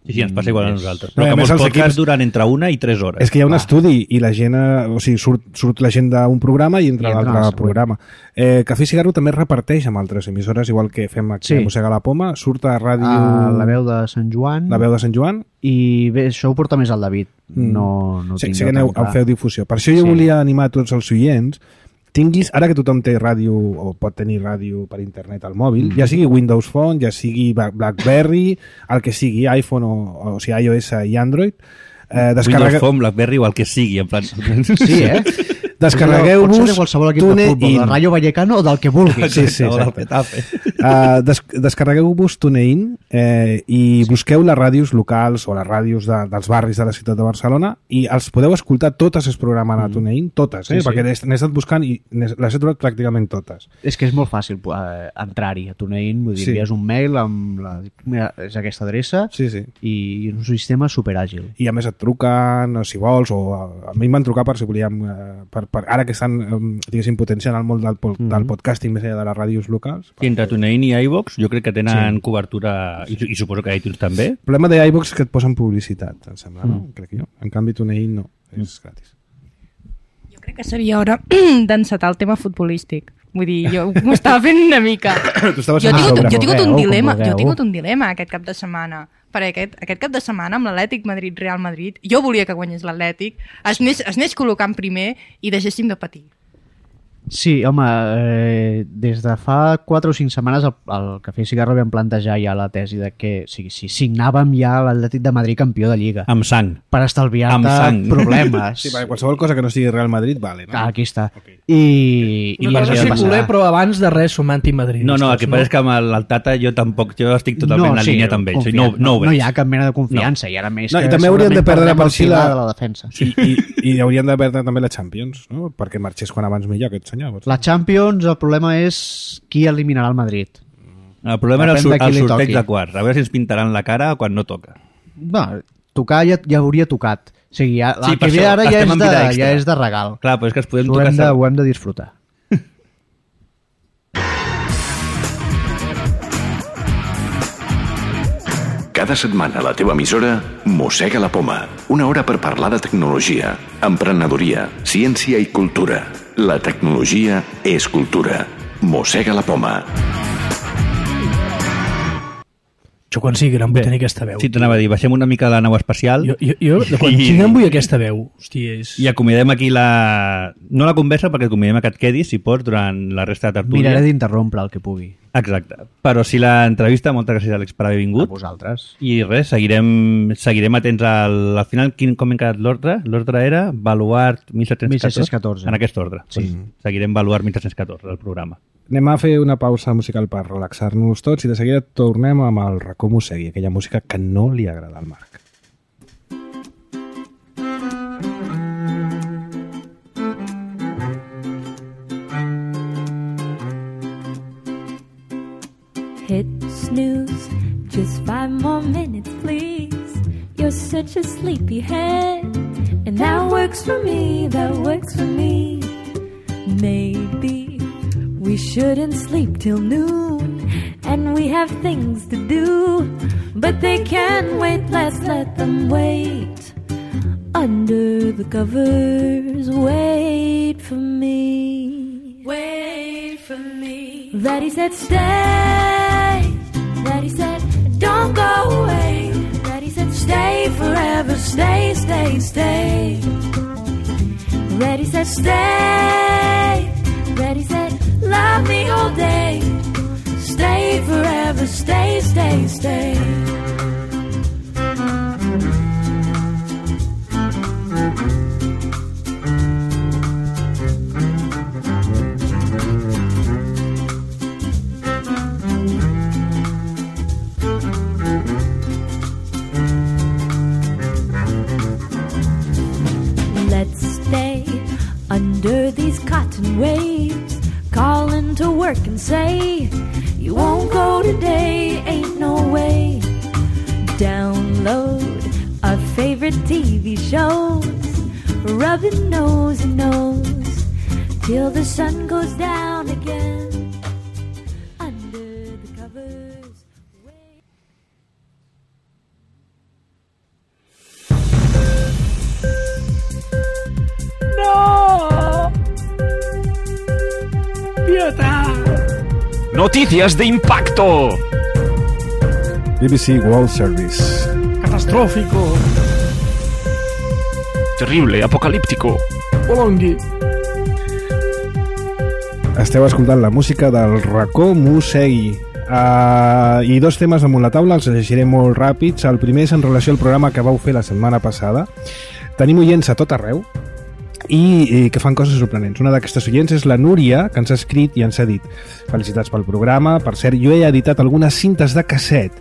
Sí, sí, ens passa igual a és- nosaltres. No, Però i a que més molts els podcasts equips- duran entre una i tres hores. És que hi ha un Clar. estudi i la gent, eh, o sigui, surt, surt la gent d'un programa i entra I entra l'altre al següent. programa. Eh, Cafè i Cigarro també es reparteix amb altres emissores, igual que fem aquí Sí. a Mossega la Poma, surt a ràdio... a la veu de Sant Joan, la veu de Sant Joan. i bé, això ho porta més el David, Mm. no, no ho sí, tinc sí que jo aneu, tan clar. feu difusió. Per això jo Sí. volia animar a tots els oients, tinguis, ara que tothom té ràdio o pot tenir ràdio per internet al mòbil, mm. ja sigui Windows Phone, ja sigui Bla- BlackBerry, el que sigui, iPhone o, o sigui, iOS i Android, eh, descarregueu... Windows Phone, BlackBerry o el que sigui, en plan... Sí, eh? Descarregueu-vos Pot ser de qualsevol equip de TuneIn. futbol, del Rayo Vallecano o del que vulguis. Sí, sí, o del exacte. Getafe. Uh, des descarregueu-vos TuneIn eh, i busqueu les ràdios locals o les ràdios de, dels barris de la ciutat de Barcelona i els podeu escoltar totes es programen a TuneIn, totes, eh? Sí, sí. perquè n'he n'he estat buscant i n'he- les he trobat pràcticament totes. És que és molt fàcil eh, entrar-hi a TuneIn, vull dir, Sí. envies un mail amb la, mira, és aquesta adreça Sí, sí. i un sistema superàgil. I a més et truquen, o si vols, o a, a mi em van trucar per si volíem, eh, per, per, ara que estan, eh, diguéssim, potenciant el món del, po- Mhm. del podcasting més enllà de les ràdios locals. I entre TuneIn i iVox jo crec que tenen sí. cobertura, i, i suposo que iTunes també. El problema d'iVox és que et posen publicitat, em sembla, no? Mm. Crec jo. En canvi, TuneIn no, és gratis. Jo crec que seria hora d'encetar el tema futbolístic. Vull dir, jo m'ho estava fent una mica. Tu estaves Jo he fent tingut, sobre. jo he tingut un vulgueu, com dilema, jo he vulgueu. tingut un dilema aquest cap de setmana. Perquè aquest, aquest cap de setmana amb l'Atlètic Madrid-Real Madrid, jo volia que guanyés l'Atlètic, es anés, es anés col·locant primer i deixéssim de patir. Sí, home, eh, des de fa quatre o cinc setmanes el, el Cafè i Cigarro vam plantejar ja la tesi de que o sigui, si signàvem ja l'Atlètic de Madrid campió de Lliga Amb sang. per Amb estalviar-te sang. problemes. Sí, perquè qualsevol cosa que no sigui Real Madrid, vale, no? Ah, aquí està. Ok. I, I i no ja sé passarà. culer, però abans de res som antimadridistes. No, no, el que passa és que amb el, el Tata jo tampoc, jo estic totalment en línia amb ell. O sigui, no, confiant. no, ho no, no veig. hi ha cap mena de confiança. I ara més No, i que també haurien de segurament perdre perdrem per el si pilar la- de la defensa. I, i, i haurien de perdre també la Champions, no? Perquè marxés quan abans millor aquest senyor. potser. La Champions, el problema és qui eliminarà el Madrid. El problema era el, Depèn sur de qui el li sorteig toqui. de quarts. A veure si ens pintaran la cara quan no toca. No, tocar ja, ja hauria tocat. O sigui, ja, Sí, el per que ve això, ara ja estem és, en de, vida extra. ja és de regal. Clar, però és que es podem Ho tocar... hem, de, ho hem de disfrutar. Cada setmana a la teva emissora Mossega la Poma. Una hora per parlar de tecnologia, emprenedoria, ciència i cultura. La tecnologia és cultura. Mossega la Poma. Jo quan sigui gran vull tenir aquesta veu. Sí, t'anava a dir, baixem una mica la nau espacial Jo, jo, jo de quan I- sigui gran vull aquesta veu. Hòstia, és... i acomiadem aquí la... No la conversa, perquè acomiadem que et quedis, si pots, durant la resta de tertúlia. Miraré d'interrompre el que pugui. Exacte. Però si l'entrevista, moltes gràcies, Àlex, per haver A vingut. vosaltres. I res, seguirem, seguirem atents al, al final. Quin, com hem quedat l'ordre? L'ordre era Baluart mil set-cents catorze? mil set-cents catorze. En aquest ordre. Sí. Pues seguirem Baluart mil set-cents catorze, el programa. Anem a fer una pausa musical per relaxar-nos tots i de seguida tornem amb el racó Mossegui, aquella música que no li agrada al Marc. Hit snooze, just five more minutes, please. You're such a sleepyhead, And that works for me, that works for me. Maybe we shouldn't sleep till noon, and we have things to do, but they can wait, let's let them wait. Under the covers, wait for me. Wait for me. Daddy said stay. Daddy said don't go away. Daddy said stay forever, stay, stay, stay. Daddy said stay. Daddy said love me all day. Stay forever, stay, stay, stay. Let's stay under these cotton waves, calling to work and say, you won't go today, ain't no way. Download our favorite T V shows, rubbing nose and nose, till the sun goes down again. Under the covers. Wait. No! Pietat! Noticias de impacto. B B C World Service. Catastrófico! Terrible, apocalíptico. Bolongui! Esteu escoltant la música del racó Mosegui. Uh, I dos temes damunt la taula, els llegiré molt ràpids. El primer és en relació al programa que vau fer la setmana passada. Tenim oients a tot arreu i, i que fan coses sorprenents. Una d'aquestes oients és la Núria, que ens ha escrit i ens ha dit: felicitats pel programa. Per cert, jo he editat algunes cintes de casset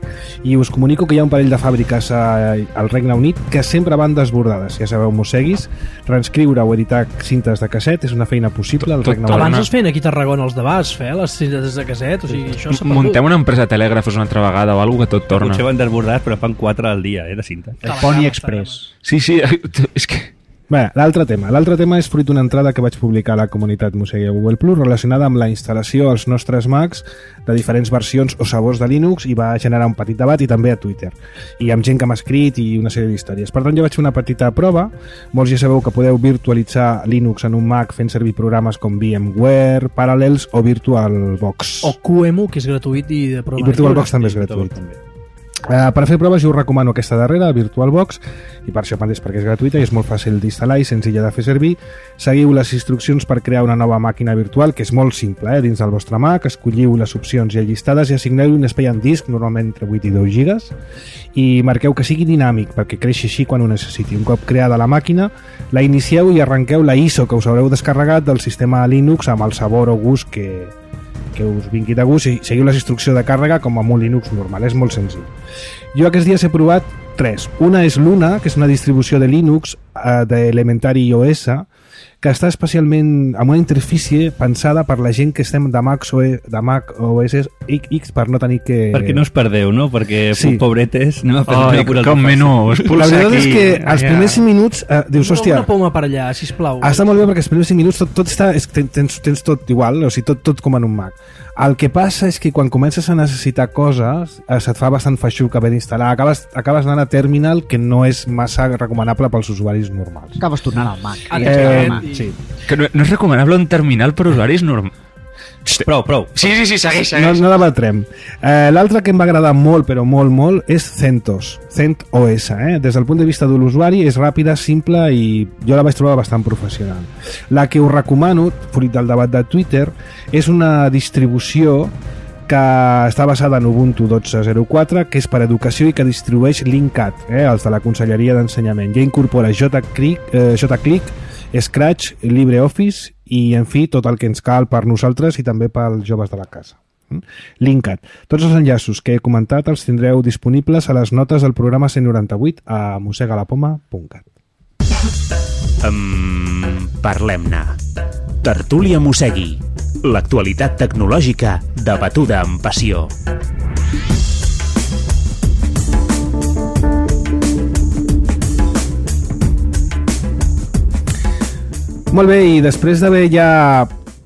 i us comunico que hi ha un parell de fàbriques a, al Regne Unit que sempre van desbordades. Ja sabeu, Mosseguis, transcriure o editar cintes de casset és una feina possible al Regne Unit. Abans es feien aquí a Tarragona els debats, fer les cintes de casset, o sigui, això s'ha perdut. Muntem una empresa de telègrafos una altra vegada o alguna que tot torna. Potser van desbordats, però fan quatre al dia, eh, de cinta. El Pony Express. Sí, sí, és que... Bé, l'altre tema. L'altre tema és fruit d'una entrada que vaig publicar a la comunitat Mosegui a Google Plus relacionada amb la instal·lació als nostres Macs de diferents versions o sabors de Linux, i va generar un petit debat, i també a Twitter. I amb gent que m'ha escrit i una sèrie d'històries. Per tant, jo vaig fer una petita prova. Molts ja sabeu que podeu virtualitzar Linux en un Mac fent servir programes com VMware, Parallels o VirtualBox. O Q E M U, que és gratuït i de prova. I VirtualBox també és gratuït. Uh, per fer proves jo us recomano aquesta darrera, VirtualBox, i per això mateix, perquè és gratuïta i és molt fàcil d'instal·lar i senzilla de fer servir. Seguiu les instruccions per crear una nova màquina virtual, que és molt simple, eh? Dins del vostre Mac escolliu les opcions ja llistades i assigneu un espai en disc, normalment entre vuit i deu gigas, i marqueu que sigui dinàmic perquè creixi així quan ho necessiti. Un cop creada la màquina, la inicieu i arrenqueu la I S O que us haureu descarregat del sistema Linux amb el sabor o gust que, que us vingui de gust, i seguiu les instruccions de càrrega com amb un Linux normal. És molt senzill. Jo aquests dies he provat tres. Una és Luna, que és una distribució de Linux eh, d'Elementary O S, que està especialment amb una interfície pensada per la gent que estem de Mac O S, de Mac O S X, per no tenir que... Perquè no us perdeu, no? Perquè, sí, pobretes, anem a fer oh, una com menú, es la veritat aquí. És que els ja. primers cinc minuts eh, dius, hòstia... Una poma per allà, sisplau. Està molt bé perquè els primers cinc minuts tot, tot està, és, tens, tens tot igual, o sigui, tot, tot com en un Mac. El que passa és que quan comences a necessitar coses eh, se't fa bastant feixuc haver d'instal·lar. Acabes, acabes anant a Terminal, que no és massa recomanable pels usuaris normals. Acabes tornant al Mac. Eh, i... sí. Que no, no és recomanable un terminal per usuaris normals. Prou, prou. Sí, sí, sí, segueix, segueix. No, no debatrem. Eh, L'altre que em va agradar molt, però molt, molt, és CentOS. CentOS, eh? Des del punt de vista de l'usuari és ràpida, simple i jo la vaig trobar bastant professional. La que us recomano, fruit del debat de Twitter, és una distribució que està basada en Ubuntu dotze zero quatre, que és per educació i que distribueix Linkat, eh? Els de la Conselleria d'Ensenyament. Ja incorpora JClick, eh, JClick, Scratch, LibreOffice i, en fi, tot el que ens cal per nosaltres i també pels joves de la casa. Linkat. Tots els enllaços que he comentat els tindreu disponibles a les notes del programa cent noranta-vuit a mosegalapoma punt cat. Um, Parlem-ne. Tertúlia Mosegui. L'actualitat tecnològica debatuda amb passió. Molt bé, i després d'haver ja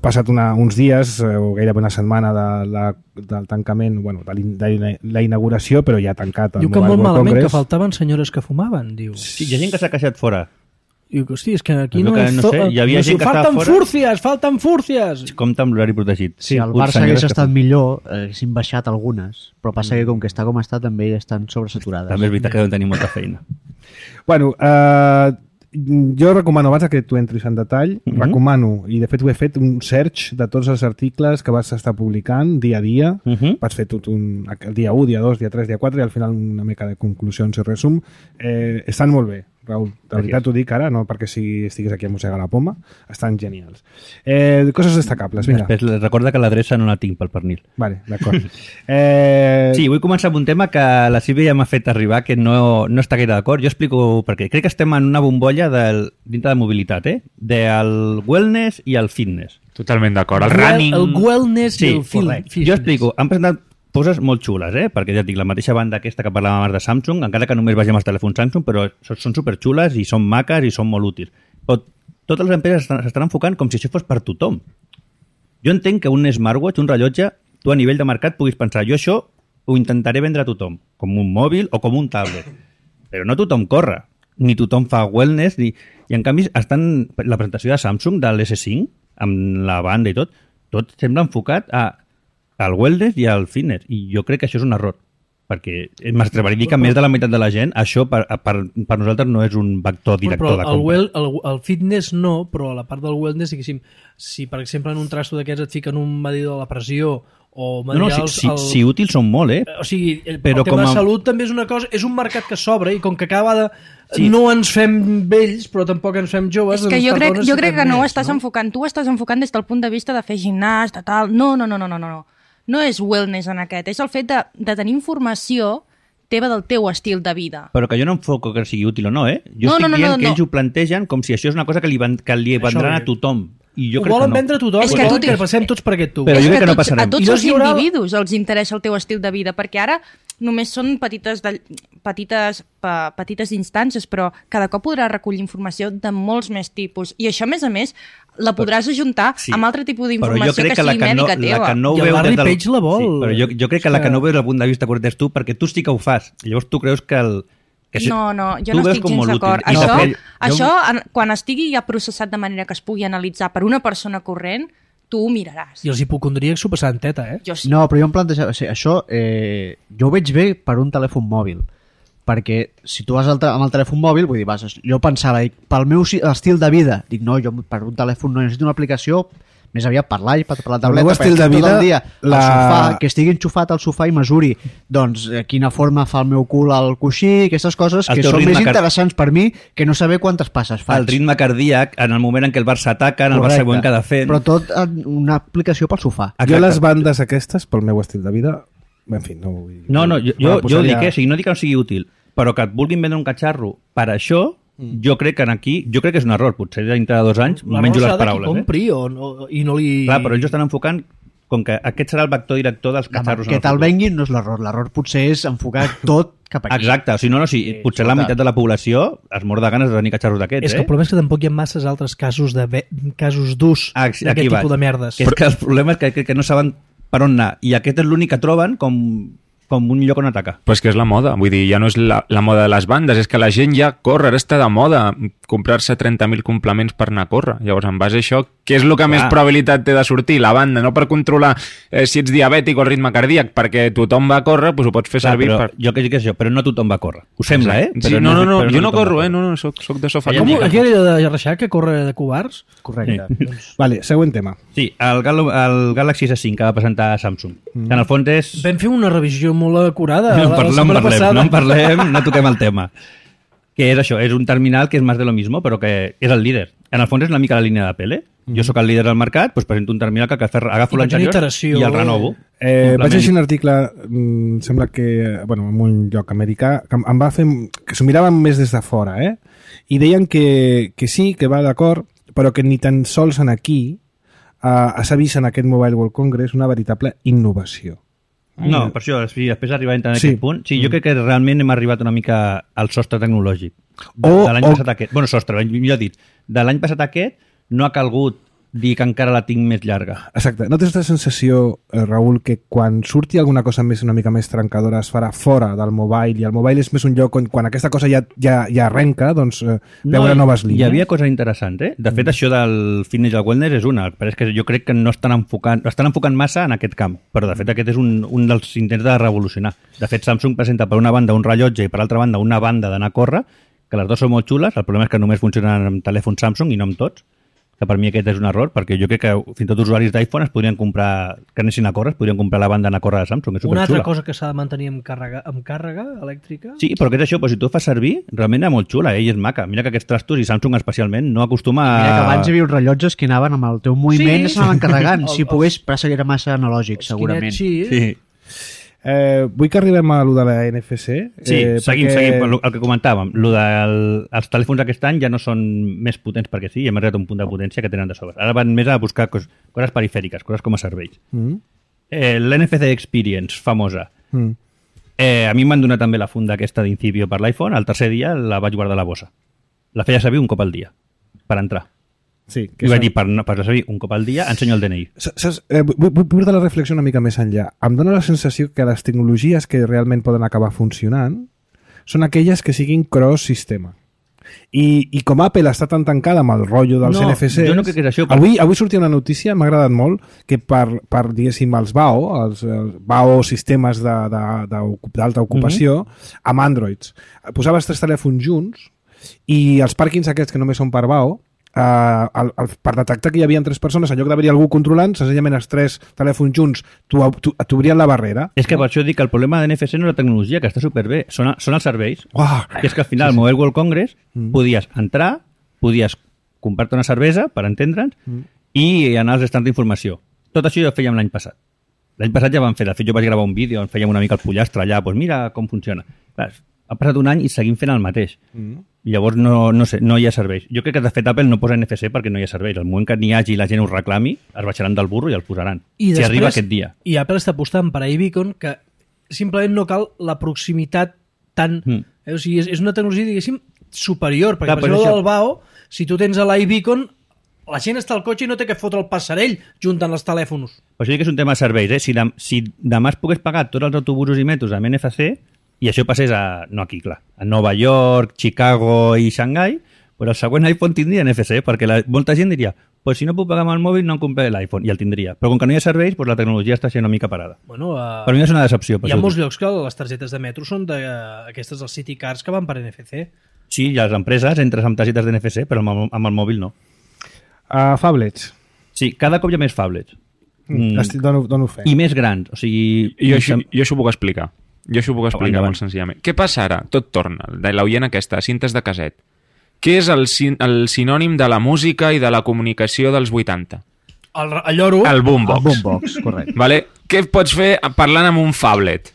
passat una, uns dies, eh, o gairebé una setmana de la, del tancament, bueno, de, l'in- de la inauguració, però ja tancat el Diu que Mobile molt World malament, Congress. que faltaven senyores que fumaven, diu. Sí, hi ha gent que s'ha queixat fora. Diu que, hosti, és que aquí Es no veu que, és... no sé, hi havia no, gent que estava falten fora. fúrcies, falten fúrcies! Compte amb l'horari protegit. Si el Uns Barça senyores hagués que estat fan- millor, eh, haguessin baixat algunes, però passa que com que està com està també estan sobresaturades. També és veritat que deuen tenir molta feina. Bueno, eh, jo recomano, abans que tu entris en detall, Mhm. recomano, i de fet ho he fet, un search de tots els articles que vas estar publicant dia a dia. Mhm. Vas fer tot un, el dia u, dia dos, dia tres, dia quatre, i al final una mica de conclusions i resum. Eh, estan molt bé, Raül. De veritat t'ho dic ara, no perquè si estiguis aquí a Mossegar la Poma. Estan genials. Eh, coses destacables, vinga. Després les recorda que l'adreça no la tinc pel pernil. Vale, d'acord. Eh, Sí, vull començar amb un tema que la Sílvia ja m'ha fet arribar, que no, no està gaire d'acord. Jo explico per què. Crec que estem en una bombolla del, dintre de mobilitat, eh? Del wellness i el fitness. Totalment d'acord. El Well- running... El wellness Sí, i el film. correcte. Jo explico. Han presentat coses molt xules, eh? Perquè ja et dic, la mateixa banda aquesta que parlàvem abans de Samsung, encara que només vegem els telèfons Samsung, però són, són superxules i són maques i són molt útils. Però totes les empreses estan- s'estan enfocant com si això fos per tothom. Jo entenc que un smartwatch, un rellotge, tu a nivell de mercat puguis pensar, jo això ho intentaré vendre a tothom, com un mòbil o com un tablet. Però no tothom corre, ni tothom fa wellness, ni... i en canvi estan la presentació de Samsung de l'S cinc, amb la banda i tot, tot sembla enfocat a al wellness i al fitness, i jo crec que això és un error, perquè m'atreviria a dir que més de la meitat de la gent, això per, per, per nosaltres no és un vector director però de el, compra. well, el, el fitness no, però a la part del wellness, diguéssim, si per exemple en un trasto d'aquests et fiquen un medidor de la pressió o No, no, medirà si, els- si, el- si útils són molt, eh? O sigui, el, Però el tema com a- de salut també és una cosa, és un mercat que s'obre i com que cada vegada Sí. no ens fem vells, però tampoc ens fem joves... És que doncs jo crec, perdona, jo si crec fem que no ho més, estàs enfocant. Tu ho estàs enfocant des del punt de vista de fer gimnàs, de tal... No, no, no, no, no, no. no. No és wellness en aquest. És el fet de, de tenir informació teva del teu estil de vida. Però que jo no enfoco que sigui útil o no, eh? Jo No, estic no, no, dient no, que no. ells ho plantegen com si això és una cosa que li, van, que li vendran Això a tothom. I jo Ho crec volen que no. vendre a tothom, És és que que, tu que tens- passem tots per aquest tubo. Però és jo crec que no tots, passarem. a tots I els llavors hi haurà- individus els interessa el teu estil de vida, perquè ara només són petites, de, petites, pa, petites instàncies, però cada cop podràs recollir informació de molts més tipus. I això, a més a més, la podràs ajuntar Sí. amb altre tipus Però jo d'informació crec que, que la sigui que no, mèdica teva. la que no ho I el veu Larry des del... Page la vol. Sí, però jo, jo crec que la És que que- no ho veu des del punt de vista correcte és tu, perquè tu sí que ho fas. I llavors tu creus que el... Que això- No, no, jo tu no veus estic com gens molt útil. d'acord. I Això, després- això jo- en, quan estigui ja processat de manera que es pugui analitzar per una persona corrent, tu ho miraràs. I els hipocondríacs s'ho passaran teta, eh? Jo sí. No, però jo em plantejava... O sigui, això eh, jo ho veig bé per un telèfon mòbil, perquè si tu vas al, amb el telèfon mòbil, vull dir, vas, jo pensava, dic, pel meu si- estil de vida, dic, no, jo per un telèfon no necessito una aplicació, més aviat per l'iPad, per la tableta, meu estil de perquè tot vida, el dia la- al sofà, que estigui enxufat al sofà i mesuri, doncs, eh, quina forma fa el meu cul al coixí, aquestes coses El que teu són ritme més car- interessants per mi que no saber quantes passes faig. el ritme cardíac en el moment en què el Barça ataca, en el Correcte. següent que ha de fer... Però tot en una aplicació pel sofà. Jo les bandes aquestes, pel meu estil de vida, en fi, no vull... No, no, jo, me la jo, jo ho dic, posaria- eh? O sigui, no dic que no sigui útil, però que et vulguin vendre un catxarro per això, jo crec que en aquí, jo crec que és un error, potser dintre de dos anys La menjo les rosa de qui paraules. Eh? compri o no, i no li... Clar, però ells estan enfocant com que aquest serà el vector director dels catxarros. Que en el te'l futur. venguin no és l'error. L'error potser és enfocar tot cap aquí. Exacte, o sigui, no, no, sí, potser la escolta. meitat de la població es mor de ganes de tenir catxarros d'aquests, És que eh? el problema és que tampoc hi ha masses altres casos de ve... casos d'ús Ah, aquí d'aquest vaig. tipus de merdes. Que és que el problema és que, que, que no saben per on anar, i aquest és l'únic que troben com, com un lloc on atacar. Però és que és la moda, vull dir, ja no és la, la moda de les bandes, és que la gent ja corre, ara està de moda comprar-se trenta mil complements per anar a córrer. Llavors, en base a això, què és el que més probabilitat té de sortir? La banda, no per controlar eh, si ets diabètic o el ritme cardíac, perquè tothom va a córrer, doncs ho pots fer Clar, servir però, per... jo que dic això, però no tothom va a córrer. Ho sembla, eh? Sí, Però no, no, no, però jo no tothom corro, va a eh? No, no, soc, soc de sofà. Com, mica. aquí era de Reixac, que corre de covards? Correcte. Sí. Vale, següent tema. Sí, el, Gal el Galaxy S cinc que va presentar Samsung. Mm. Que en el fons és... Vam fer una revisió molt acurada No en la, parlem, la no en setmana parlem, passada. no en parlem, no toquem el tema. Que és això, és un terminal que és més de lo mismo, però que és el líder. En el fons és una mica la línia d'Apple, eh? Mm. Jo sóc el líder del mercat, doncs presento un terminal que agafo I vaig l'anterior iteració. i el renovo. Eh, vaig Complement. llegir un article, mm, sembla que, bueno, en un lloc americà, que em va fer, que s'ho miraven més des de fora, eh? I deien que, que sí, que va d'acord, però que ni tan sols en aquí eh, s'ha vist en aquest Mobile World Congress una veritable innovació. No, per això, sí, després d'arribar a entrar en Sí. aquest punt, sí, jo crec que realment hem arribat una mica al sostre tecnològic. De, O- de l'any o- passat a aquest. Bueno, sostre, millor dit. De l'any passat a aquest, no ha calgut dir que encara la tinc més llarga. Exacte. No tens la sensació, eh, Raül, que quan surti alguna cosa més una mica més trencadora es farà fora del mobile, i el mobile és més un lloc on quan aquesta cosa ja, ja, ja arrenca, doncs eh, veure no, noves línies? Hi havia coses interessants, eh? De fet, mm. això del fitness i el wellness és una, però és que jo crec que no estan enfocant, estan enfocant massa en aquest camp, però de fet aquest és un, un dels intents de revolucionar. De fet, Samsung presenta per una banda un rellotge i per l'altra banda una banda d'anar a córrer, que les dues són molt xules, el problema és que només funcionen amb telèfons Samsung i no amb tots, que per mi aquest és un error, perquè jo crec que fins i tot usuaris d'iPhone es podrien comprar, que anessin a córrer, es podrien comprar la banda d'anar a córrer de Samsung, és Una altra superxula. cosa que s'ha de mantenir amb càrrega, amb càrrega elèctrica? Sí, però què és això? Però si tu ho fas servir, realment és molt xula, eh? I és maca. Mira que aquests trastos, i Samsung especialment, no acostuma a... Mira que abans hi havia uns rellotges que anaven amb el teu moviment Sí. i s'anaven carregant. El- Si pogués, però seria massa analògic, Els segurament. Kinect, sí. Sí. Eh, vull que arribem a lo de la N F C. Sí, eh, seguim, perquè... seguim. El, el que comentàvem, el del, els telèfons aquest any ja no són més potents perquè sí, hem arribat a un punt de potència que tenen de sobre. Ara van més a buscar cos, coses perifèriques, coses com a serveis. Mm. Eh, L'N F C Experience, famosa. Mm. Eh, a mi em van donar també la funda aquesta d'Incipio per l'iPhone, el tercer dia la vaig guardar a la bossa. La feia servir un cop al dia, per entrar. Sí, I vaig dir, per, per servir un cop al dia, ensenyo el D N I. Saps, eh, vull, vull portar la reflexió una mica més enllà. Em dóna la sensació que les tecnologies que realment poden acabar funcionant són aquelles que siguin cross-sistema. I, I com Apple està tan tancada amb el rotllo dels No, N F Cs... jo no crec que és això, però- Avui, avui sortia una notícia, m'ha agradat molt, que per, per diguéssim, els B A O, els, els B A O sistemes de- de- de- d'alta ocupació, mm-hmm. amb Androids, posaves tres telèfons junts i els pàrquings aquests que només són per B A O, Uh, el, el, per detectar que hi havia tres persones, en lloc d'haver-hi algú controlant, senzillament els tres telèfons junts t'obrien la barrera. És que per això dic que el problema de N F C no és la tecnologia, que està superbé, són, són els serveis. Uah, Que és que al final, al Mobile World Congress, Mm. podies entrar, podies comprar-te una cervesa, per entendre'ns, Mm. i anar als estants d'informació. Tot això ja ho fèiem l'any passat. L'any passat ja vam fer, de fet jo vaig gravar un vídeo on fèiem una mica el pollastre allà, doncs mira com funciona. Clar, ha passat un any i seguim fent el mateix. Mm. I llavors no, no, sé, no hi ha serveis. Jo crec que de fet Apple no posa N F C perquè no hi ha serveis. El moment que n'hi hagi i la gent ho reclami, es baixaran del burro i el posaran. I si després, arriba aquest dia. I Apple està apostant per iBeacon, que simplement no cal la proximitat tan... Mm. Eh? O sigui, és, és una tecnologia, diguéssim, superior, perquè Clar, per però exemple això- del B A O, si tu tens a l'iBeacon, la gent està al cotxe i no té que fotre el passarell juntant els telèfons. Per això dic que és un tema de serveis. Eh? Si, de, si demà es pogués pagar tots els autobusos i metros amb N F C, i això passés a, no aquí, clar, a Nova York, Chicago i Xangai, però el següent iPhone tindria N F C, perquè la, molta gent diria, pues si no puc pagar amb el mòbil no em compraré l'iPhone, i el tindria. Però com que no hi ha serveis, pues la tecnologia està sent una mica parada. Bueno, uh, Per mi és una decepció. Per hi ha això ho molts dic. llocs que les targetes de metro són de, uh, aquestes, els City Cards, que van per N F C. Sí, i a les empreses entres amb targetes d'N F C, però amb, el- amb el mòbil no. Uh, Fablets. Sí, cada cop hi ha més phablets. Mm. Estic, dono, dono fe. I més grans. O sigui... Jo això, jo això ho puc explicar. Jo això ho puc explicar Endavant. molt senzillament. Què passa ara? Tot torna. De l'oient aquesta, cintes de caset. Què és el, sin el sinònim de la música i de la comunicació dels vuitanta? El, el lloro... El boombox. El boombox, correcte. Vale? Què pots fer parlant amb un phablet?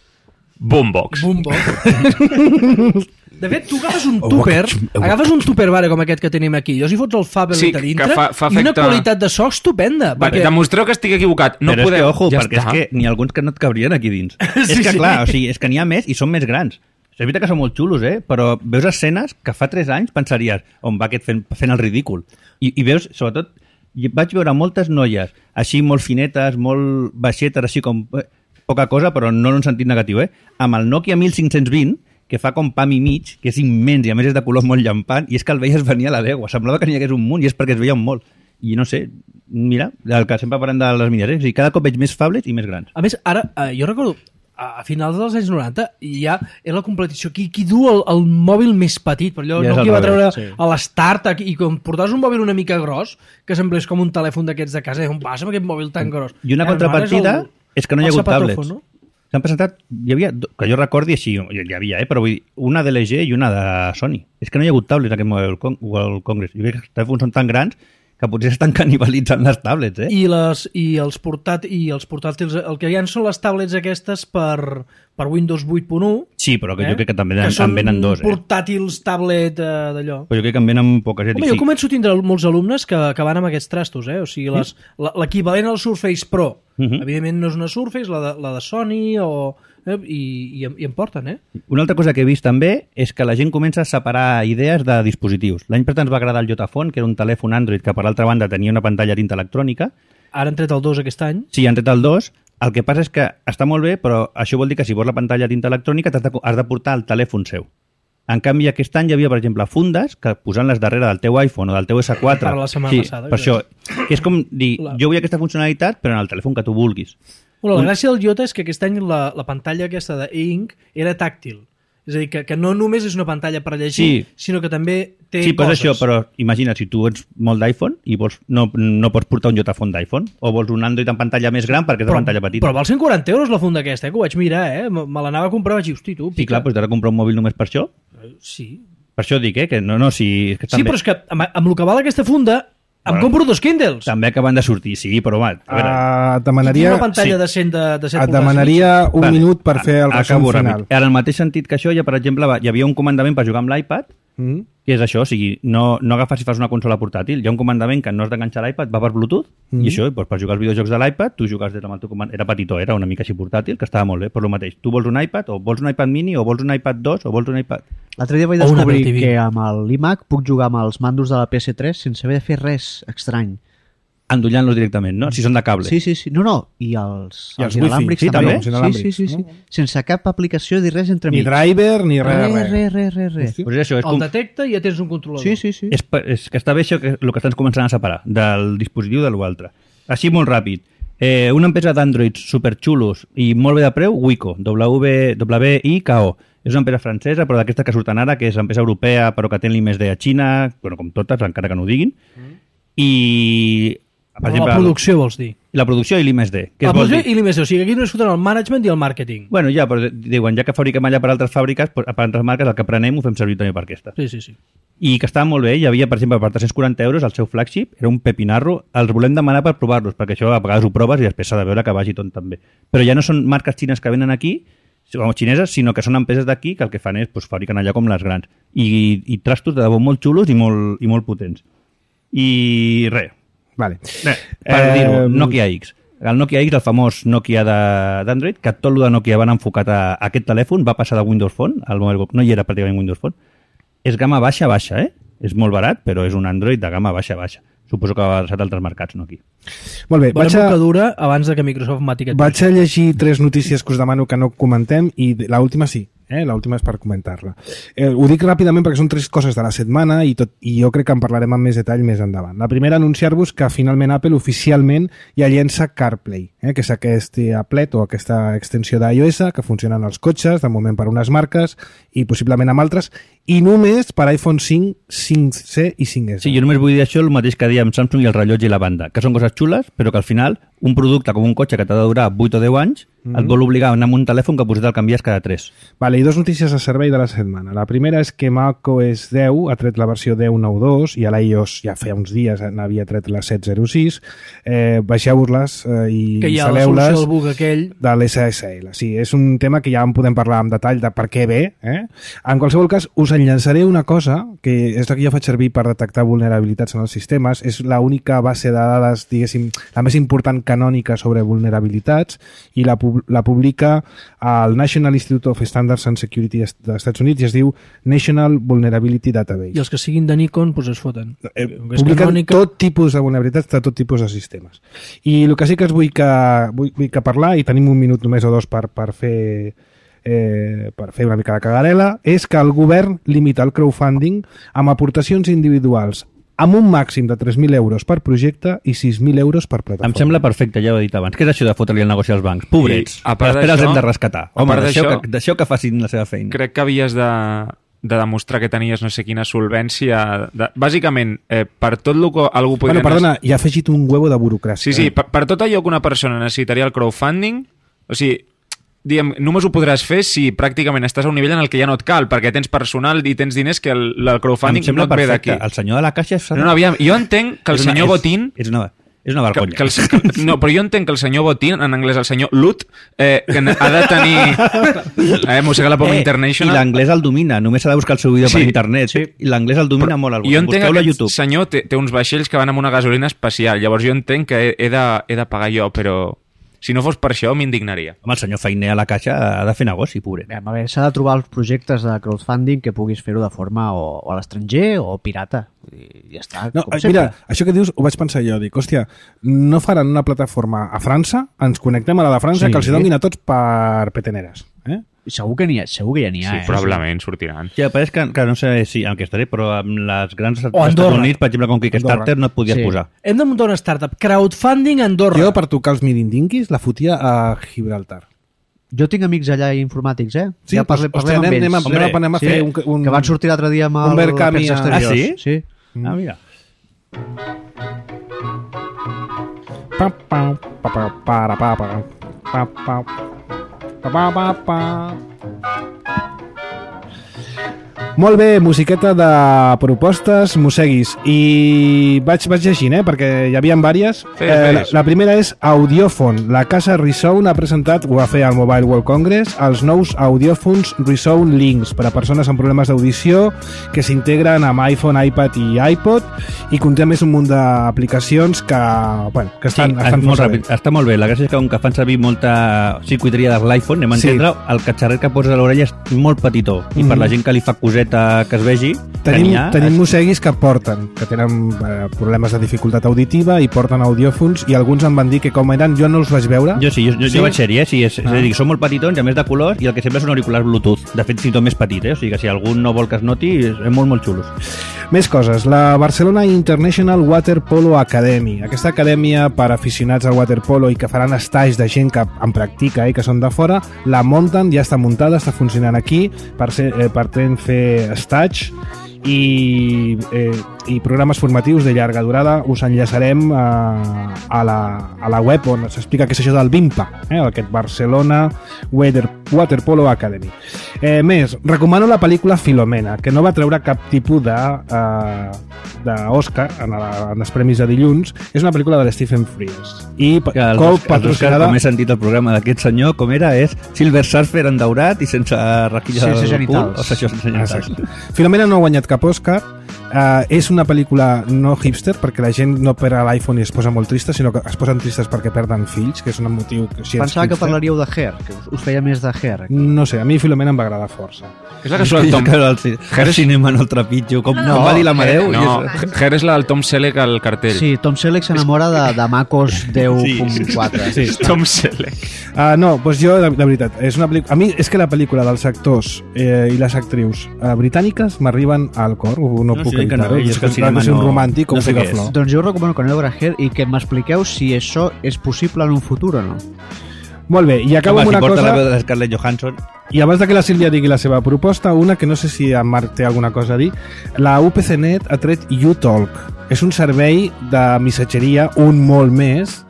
Boombox. Boombox. De fet, tu agafes un tupper, agafes un tupper vare com aquest que tenim aquí, i els hi fots el Fablet Sí, a que dintre, fa- fa i una efecte- qualitat de so estupenda. Vale, perquè... demostreu que estic equivocat. No però podeu... és que, ojo, ja perquè està. és que n'hi ha alguns que no et cabrien aquí dins. Sí, és que, sí. clar, o sigui, és que n'hi ha més i són més grans. És veritat que són molt xulos, eh? Però veus escenes que fa tres anys pensaries on va aquest fent, fent el ridícul. I, I veus, sobretot, i vaig veure moltes noies així molt finetes, molt baixetes, així com eh, poca cosa, però no en un sentit negatiu, eh? Amb el Nokia mil cinc-cents vint, que fa com pam i mig, que és immens i a més és de color molt llampant, i és que el veies venir a la legua. Semblava que n'hi hagués un munt i és perquè es veien molt. I no sé, mira, el que sempre parlem de les miniatures, o sigui, cada cop veig més phablets i més grans. A més, ara, eh, jo recordo, a, a finals dels anys noranta, ja és la competició. Qui, qui du el, el mòbil més petit? Per allò, Ja és no al qui va revés, treure sí. a l'Start, i com portaves un mòbil una mica gros, que semblés com un telèfon d'aquests de casa, i on passa amb aquest mòbil tan gros? I una Eh, contrapartida ara és, és que no hi ha el hagut zapatófon, tablets. no? S'han presentat, hi havia, que jo recordi així, hi havia, eh, però vull dir, una de L G i una de Sony. És que no hi ha hagut tablets en aquest Mobile Con World Congress. Jo crec que els telèfons són tan grans que potser estan canibalitzant les tablets, eh? I, les, i, els portat, i els portàtils, el que hi ha són les tablets aquestes per, per Windows vuit punt u. Sí, però que eh? jo crec que també en, són en venen dos, eh? portàtils tablet eh, d'allò. Però jo crec que en venen poques. Home, jo començo a tindre molts alumnes que, que van amb aquests trastos, eh? O sigui, les- la- l'equivalent al Surface Pro. Mhm. Evidentment no és una Surface, la de, la de Sony o eh? I, i, em- i em porten, eh? Una altra cosa que he vist també és que la gent comença a separar idees de dispositius. L'any passat ens va agradar el Jotaphone, que era un telèfon Android que per l'altra banda tenia una pantalla tinta electrònica. Ara han tret el dos aquest any. Sí, han tret el dos. El que passa és que està molt bé, però això vol dir que si vols la pantalla tinta electrònica t'has de, has de portar el telèfon seu. En canvi, aquest any hi havia, per exemple, fundes que posant-les darrere del teu iPhone o del teu esse quatre... Per la setmana sí, passada, per això. És com dir, La- jo vull aquesta funcionalitat, però en el telèfon que tu vulguis. Bueno, la Un- gràcia del Jota és que aquest any la, la pantalla aquesta de Ink era tàctil. És a dir, que, que no només és una pantalla per llegir, Sí. sinó que també té Sí, però és coses. això, però imagina, si tu ets molt d'iPhone i vols, no, no pots portar un Jotaphone d'iPhone, o vols un Android en pantalla més gran perquè és de pantalla petita. Però val cent quaranta euros la funda aquesta, eh? Que ho vaig mirar, eh? Me, me l'anava a comprar, vaig dir, hosti, tu, Sí, pica. clar, doncs t'has de comprar un mòbil només per això. Sí, Per això dic, eh, que no, no, si... És que sí també, però és que amb, amb el que val aquesta funda em Bueno. compro dos Kindles. també acaben de sortir, sí, però home, a veure... Uh, et I demanaria, una pantalla sí. de cent de, de set et polzades. demanaria un Vale. minut per fer el A- resum acabo final. ràpid. En el mateix sentit que això, ja, per exemple, va- hi havia un comandament per jugar amb l'iPad, Mm? que és això, o sigui, no, no agafes i fas una consola portàtil. Hi ha un comandament que no has d'enganxar l'iPad, va per Bluetooth, Mm. i això, doncs, per jugar als videojocs de l'iPad, tu jugues des del teu comandament. Era petitó, era una mica així portàtil, que estava molt bé, per lo mateix. Tu vols un iPad, o vols un iPad mini, o vols un iPad dos, o vols un iPad... L'altre dia vaig O una descobrir Apple T V. que amb l'iMac puc jugar amb els mandos de la P S tres sense haver de fer res estrany. Endollant-los directament, no? Si són de cable. Sí, sí, sí. No, no. I els, I els els inalàmbrics wifi, sí, també. també, els Sí, inalàmbrics, sí, sí, sí. no? Sense cap aplicació ni res entre Ni mig. driver, ni res, Res, res. res, res, res, res. Hosti. Pues és això, és, El com, detecta i ja tens un controlador. Sí, sí, sí. és, pa- és que està bé això, que, el que estàs començant a separar del dispositiu de l'altre. Així molt ràpid. Eh, una empresa d'Androids superxulos i molt bé de preu, Wico, W I K O. És una empresa francesa, però d'aquestes que surten ara, que és empresa europea, però que té l'I més D a Xina, bueno, com totes, encara que no ho diguin. I... Per Però la producció, vols dir. la producció i l'I més D. Què La es vol producció dir? i l'I més D. O sigui, aquí només foten el management i el màrqueting. Bueno, ja, però diuen, ja que fabriquem allà per altres fàbriques, per altres marques, el que prenem ho fem servir també per aquesta. Sí, sí, sí. I que estava molt bé, hi havia, per exemple, per tres-cents quaranta euros el seu flagship, era un pepinarro, els volem demanar per provar-los, perquè això a vegades ho proves i després s'ha de veure que vagi tot també. Però ja no són marques xines que venen aquí, o xineses, sinó que són empreses d'aquí que el que fan és pues, fabriquen allà com les grans. I, i trastos de debò molt xulos i molt, i molt potents. I res, Vale. res per Eh, dir-ho, Nokia X. El Nokia X, el famós Nokia de- d'Android, que tot el de Nokia van enfocat a, a aquest telèfon, va passar de Windows Phone, al Mobile Go- no hi era pràcticament Windows Phone. És gamma baixa, baixa, eh? És molt barat, però és un Android de gamma baixa, baixa. Suposo que va adreçat a altres mercats, no aquí. Molt bé, Veurem vaig a, que dura abans de que Microsoft mati aquest vaig a llegir tres notícies que us demano que no comentem i l'última sí, eh? l'última és per comentar-la. Eh, ho dic ràpidament perquè són tres coses de la setmana i, tot, i jo crec que en parlarem amb més detall més endavant. La primera, anunciar-vos que finalment Apple oficialment ja llença CarPlay, eh? que és aquest applet o aquesta extensió d'iOS que funciona en els cotxes, de moment per unes marques i possiblement amb altres, i només per iPhone cinc, cinc C i cinc S. Sí, jo només vull dir això el mateix que diem Samsung i el rellotge i la banda, que són coses xules, però que al final un producte com un cotxe que t'ha de durar vuit o deu anys mm -hmm. et vol obligar a anar amb un telèfon que potser te'l canvies cada tres. Vale, i dos notícies de servei de la setmana. La primera és que macOS deu ha tret la versió deu nou punnt dos i a l'iOS ja feia uns dies n'havia tret la set zero sis. Eh, baixeu-les eh, i Que hi ha la instal·leu-les solució del bug aquell. de l'S S L. Sí, és un tema que ja en podem parlar amb detall de per què ve. Eh? En qualsevol cas, us enllaçaré una cosa que és la que jo faig servir per detectar vulnerabilitats en els sistemes. És l'única base de dades, diguéssim, la més important canònica sobre vulnerabilitats i la, pub la publica al National Institute of Standards and Security dels Estats Units i es diu National Vulnerability Database. I els que siguin de Nikon, doncs es foten. Eh, És publiquen canònica. tot tipus de vulnerabilitats de tot tipus de sistemes. I el que sí que es vull que, vull, vull que parlar, i tenim un minut només o dos per, per fer eh, per fer una mica de cagarela, és que el govern limita el crowdfunding amb aportacions individuals amb un màxim de tres mil euros per projecte i sis mil euros per plataforma. Em sembla perfecte, ja ho he dit abans. Què és això de fotre-li el negoci als bancs? Pobrets. I, a part després els d'això- hem de rescatar. a Home, part deixeu d'això- que, deixeu que facin la seva feina. Crec que havies de, de demostrar que tenies no sé quina solvència. De, bàsicament, eh, per tot el que algú podria... Bueno, perdona, hi ha afegit un huevo de burocràcia. Sí, sí, per, per tot allò que una persona necessitaria el crowdfunding, o sigui, diguem, només ho podràs fer si pràcticament estàs a un nivell en el que ja no et cal, perquè tens personal i tens diners que el, el crowdfunding Em sembla no et ve perfecte. d'aquí. El senyor de la caixa... És... No, no, aviam, jo entenc que el és una- senyor és- Botín... És una, és una Que, vergonya. que el, que, no, però jo entenc que el senyor Botín, en anglès el senyor Lut, eh, que ha de tenir... Eh, mossega la poma I international. l'anglès el domina, només s'ha de buscar el seu vídeo Sí, per internet. sí. I l'anglès el domina molt. Jo entenc que Busqueu-lo a aquest YouTube. senyor té, té uns vaixells que van amb una gasolina especial, llavors jo entenc que he, he, de, he de pagar jo, però... Si no fos per això, m'indignaria. Home, el senyor Feiner a la caixa ha de fer negoci, pobre. Bé, a veure, s'ha de trobar els projectes de crowdfunding que puguis fer-ho de forma o, o a l'estranger o pirata. I ja està. No, com mira, sempre. això que dius ho vaig pensar jo, dic, hòstia, no faran una plataforma a França, ens connectem a la de França, Sí. que els hi donin a tots per peteneres. Eh? Segur que n'hi ha, segur que ja n'hi ha, Sí, eh? probablement sortiran. Ja, però és que, que no sé si en què estaré, però amb les grans O Estats Andorra. Units, per exemple, com Kickstarter, Andorra. no et podies Sí. posar. Hem de muntar una startup. Crowdfunding a Andorra. Jo, per tocar els mirindinquis, la fotia a Gibraltar. Jo tinc amics allà informàtics, eh? Sí, ja parlem, doncs, parlem hòstia, amb anem, ells. anem, anem, anem a fer un, un... Que van sortir l'altre dia amb un el Verkami Afers a- Exteriors. Ah, sí? Sí. Ah, mira. Pa, pa, pa, pa, para, pa, pa, pa, pa, pa, pa, pa, pa. Molt bé, musiqueta de propostes, mosseguis. I vaig, vaig llegint, eh, perquè hi havia diverses. Fes, Eh, la, fes. la primera és Audiofon. La casa Resound ha presentat, ho va fer al Mobile World Congress, els nous Audiofons Resound Links per a persones amb problemes d'audició que s'integren amb iPhone, iPad i iPod i conté a més un munt d'aplicacions que, bueno, que estan, sí, estan molt força bé. ràpid. Està molt bé. La gràcia és que com que fan servir molta circuiteria de l'iPhone, anem a Sí. entendre, el catxarret que poses a l'orella és molt petitó. I Mhm. per la gent que li fa coseta que es vegi, que Tenim, n'hi ha, tenim es- mosseguis que porten, que tenen eh, problemes de dificultat auditiva i porten audiòfons i alguns em van dir que com eren, jo no els vaig veure. Jo sí, jo, jo, Sí? jo vaig ser-hi, eh? Sí, és, Ah. és a dir, són molt petitons, i a més de colors, i el que sempre són auriculars Bluetooth. De fet, fins i tot més petit, eh? O sigui que si algú no vol que es noti, és, és molt, molt xulos. Més coses. La Barcelona International Water Polo Academy. Aquesta acadèmia per aficionats al waterpolo i que faran estage de gent que en practica i eh, que són de fora, la munten, ja està muntada, està funcionant aquí, per, ser, eh, per ten fer stage i, eh, i programes formatius de llarga durada. Us enllaçarem a, a, la, a la web on s'explica què és això del VIMPA, eh, aquest Barcelona Water, Waterpolo Academy. Eh, més, recomano la pel·lícula Filomena, que no va treure cap tipus de eh, d'Òscar en, la- en els premis de dilluns. És una pel·lícula de Stephen Frears i Que els, co els Oscar, patrocinada com he sentit el programa d'aquest senyor, com era, és Silver Surfer en daurat i sense raquilla Sense del genitals. cul, o això sense genitals. Exacte. Filomena no ha guanyat cap Òscar. Uh, és una pel·lícula no hipster perquè la gent no per a l'iPhone i es posa molt trista, sinó que es posen tristes perquè perden fills, que és un motiu que si ets Pensava que hipster. parlaríeu de Hair, que us, us feia més de Hair. No sé, a mi Filomena em va agradar força. És la que surt el Jo Tom... que el, ci- el cinema no el trepitjo, com, No, com va dir l'Amadeu. No, i és- Her és la del Tom Selleck al cartell. Sí, Tom Selleck s'enamora de, de Macos deu punt quatre. Sí. Tom Selleck. Uh, no, doncs jo, de, de veritat, és una pel·lícula... A mi és que la pel·lícula dels actors eh, i les actrius uh, britàniques m'arriben al cor, no, no No, puc sí, que evitar-ho. no, i és que el Clar cinema és un no- romàntic com no sé què és. Picaflor. Doncs jo us recomano que aneu a veure Hair i que m'expliqueu si això és possible en un futur o no. Molt bé, i acabo Home, amb si una porta la cosa... veu de Scarlett Johansson. I abans de que la Sílvia digui la seva proposta, una que no sé si en Marc té alguna cosa a dir, la U P C Net ha tret YouTalk. És un servei de missatgeria, un molt més,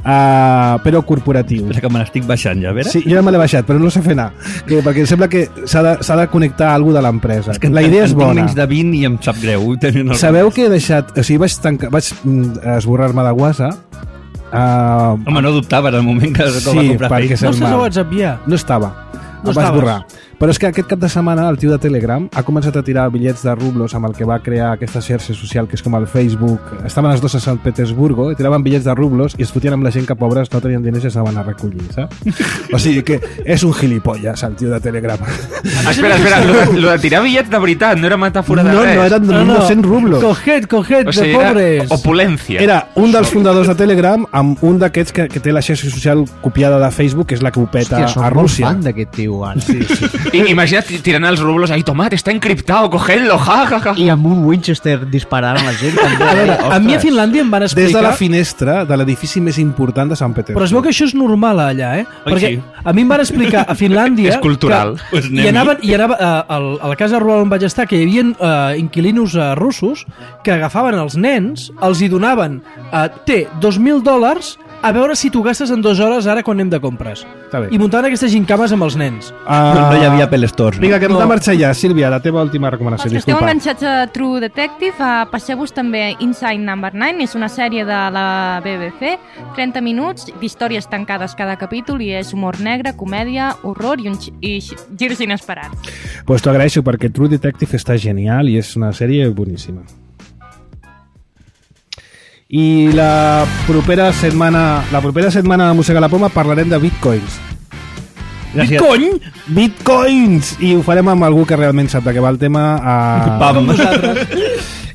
uh, però corporatiu. Espera que me l'estic baixant ja, a veure. Sí, jo ja me l'he baixat, però no sé fer anar. Que, perquè sembla que s'ha de, s'ha de connectar a algú de l'empresa. És que La idea en és tinc bona. menys de vint i em sap greu. tenint el- Sabeu que he deixat... O sigui, vaig, tancar, vaig mm, esborrar-me de WhatsApp. Uh, Home, no dubtava en el moment que, que Sí, va comprar perquè Facebook. No és estàs a mal. WhatsApp ja? No estava. No Em va estaves. esborrar. Però és que aquest cap de setmana el tio de Telegram ha començat a tirar bitllets de rublos amb el que va crear aquesta xarxa social que és com el Facebook. Estaven els dos a Sant Petersburgo i tiraven bitllets de rublos i es fotien amb la gent que pobres no tenien diners i s'anaven a recollir, saps? O sigui que és un gilipolles el tio de Telegram. Ah, espera, espera, lo de, lo de tirar bitllets de veritat, no era metàfora de No, res. no, eren No, no. dos-cents rublos. Coged, coged, O sigui, de era pobres. opulència. Era un dels fundadors de Telegram amb un d'aquests que, que té la xarxa social copiada de Facebook, que és la que ho peta Hòstia, soc a molt Rússia. fan d'aquest tio, ara. Sí, sí. I, imagina't tirant els rublos ahí, tomate, está encriptado, cogedlo, ja, ja, ja. I amb un Winchester disparant a la gent. També. A veure, a mi a Ostres. Finlàndia em van Des explicar... de la finestra de l'edifici més important de Sant Petersburg. Però es veu que això és normal allà, eh? Oi, Perquè sí. a mi em van explicar a Finlàndia... És cultural. Que, Pues i anem-hi. anaven, i anava a, a, a la casa rural on vaig estar, que hi havia uh, inquilinos uh, russos que agafaven els nens, els hi donaven uh, té dos mil dòlars a veure si t'ho gastes en dues hores ara quan anem de compres. Està bé. I muntaven aquestes gincames amb els nens. Uh, No hi havia Apple Stores. No? Vinga, que hem No. de marxar ja. Sílvia, la teva última recomanació. Els que esteu Disculpa. enganxats a True Detective, uh, passeu-vos també Inside Number nine, és una sèrie de la B B C, trenta minuts d'històries tancades cada capítol i és humor negre, comèdia, horror i, un xi- i xi- girs inesperats. Pues t'ho agraeixo perquè True Detective està genial i és una sèrie boníssima. I la propera setmana, la propera setmana de Mossega la Poma parlarem de bitcoins. Gràcies. Bitcoin? Bitcoins! I ho farem amb algú que realment sap de què va el tema. A... Pam.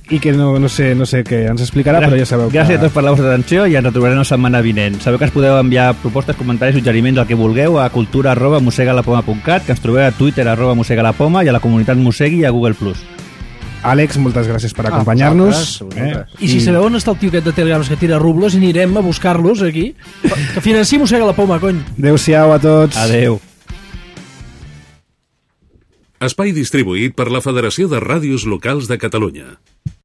I que no, no, sé, no sé què ens explicarà, però ja sabeu que... Gràcies a tots per la vostra atenció i ens retrobarem la setmana vinent. Sabeu que ens podeu enviar propostes, comentaris, suggeriments, el que vulgueu a cultura arroba mossegalapoma punt cat, que ens trobeu a Twitter arroba mossegalapoma i a la comunitat Mossegui i a Google plus. Àlex, moltes gràcies per acompanyar-nos. Ah, vosaltres, eh? I si sabeu on està el tio aquest de telegrams que tira rubles, anirem a buscar-los aquí. Que financi Mossega la Poma, cony. Adéu-siau a tots. Adéu. Espai distribuït per la Federació de Ràdios Locals de Catalunya.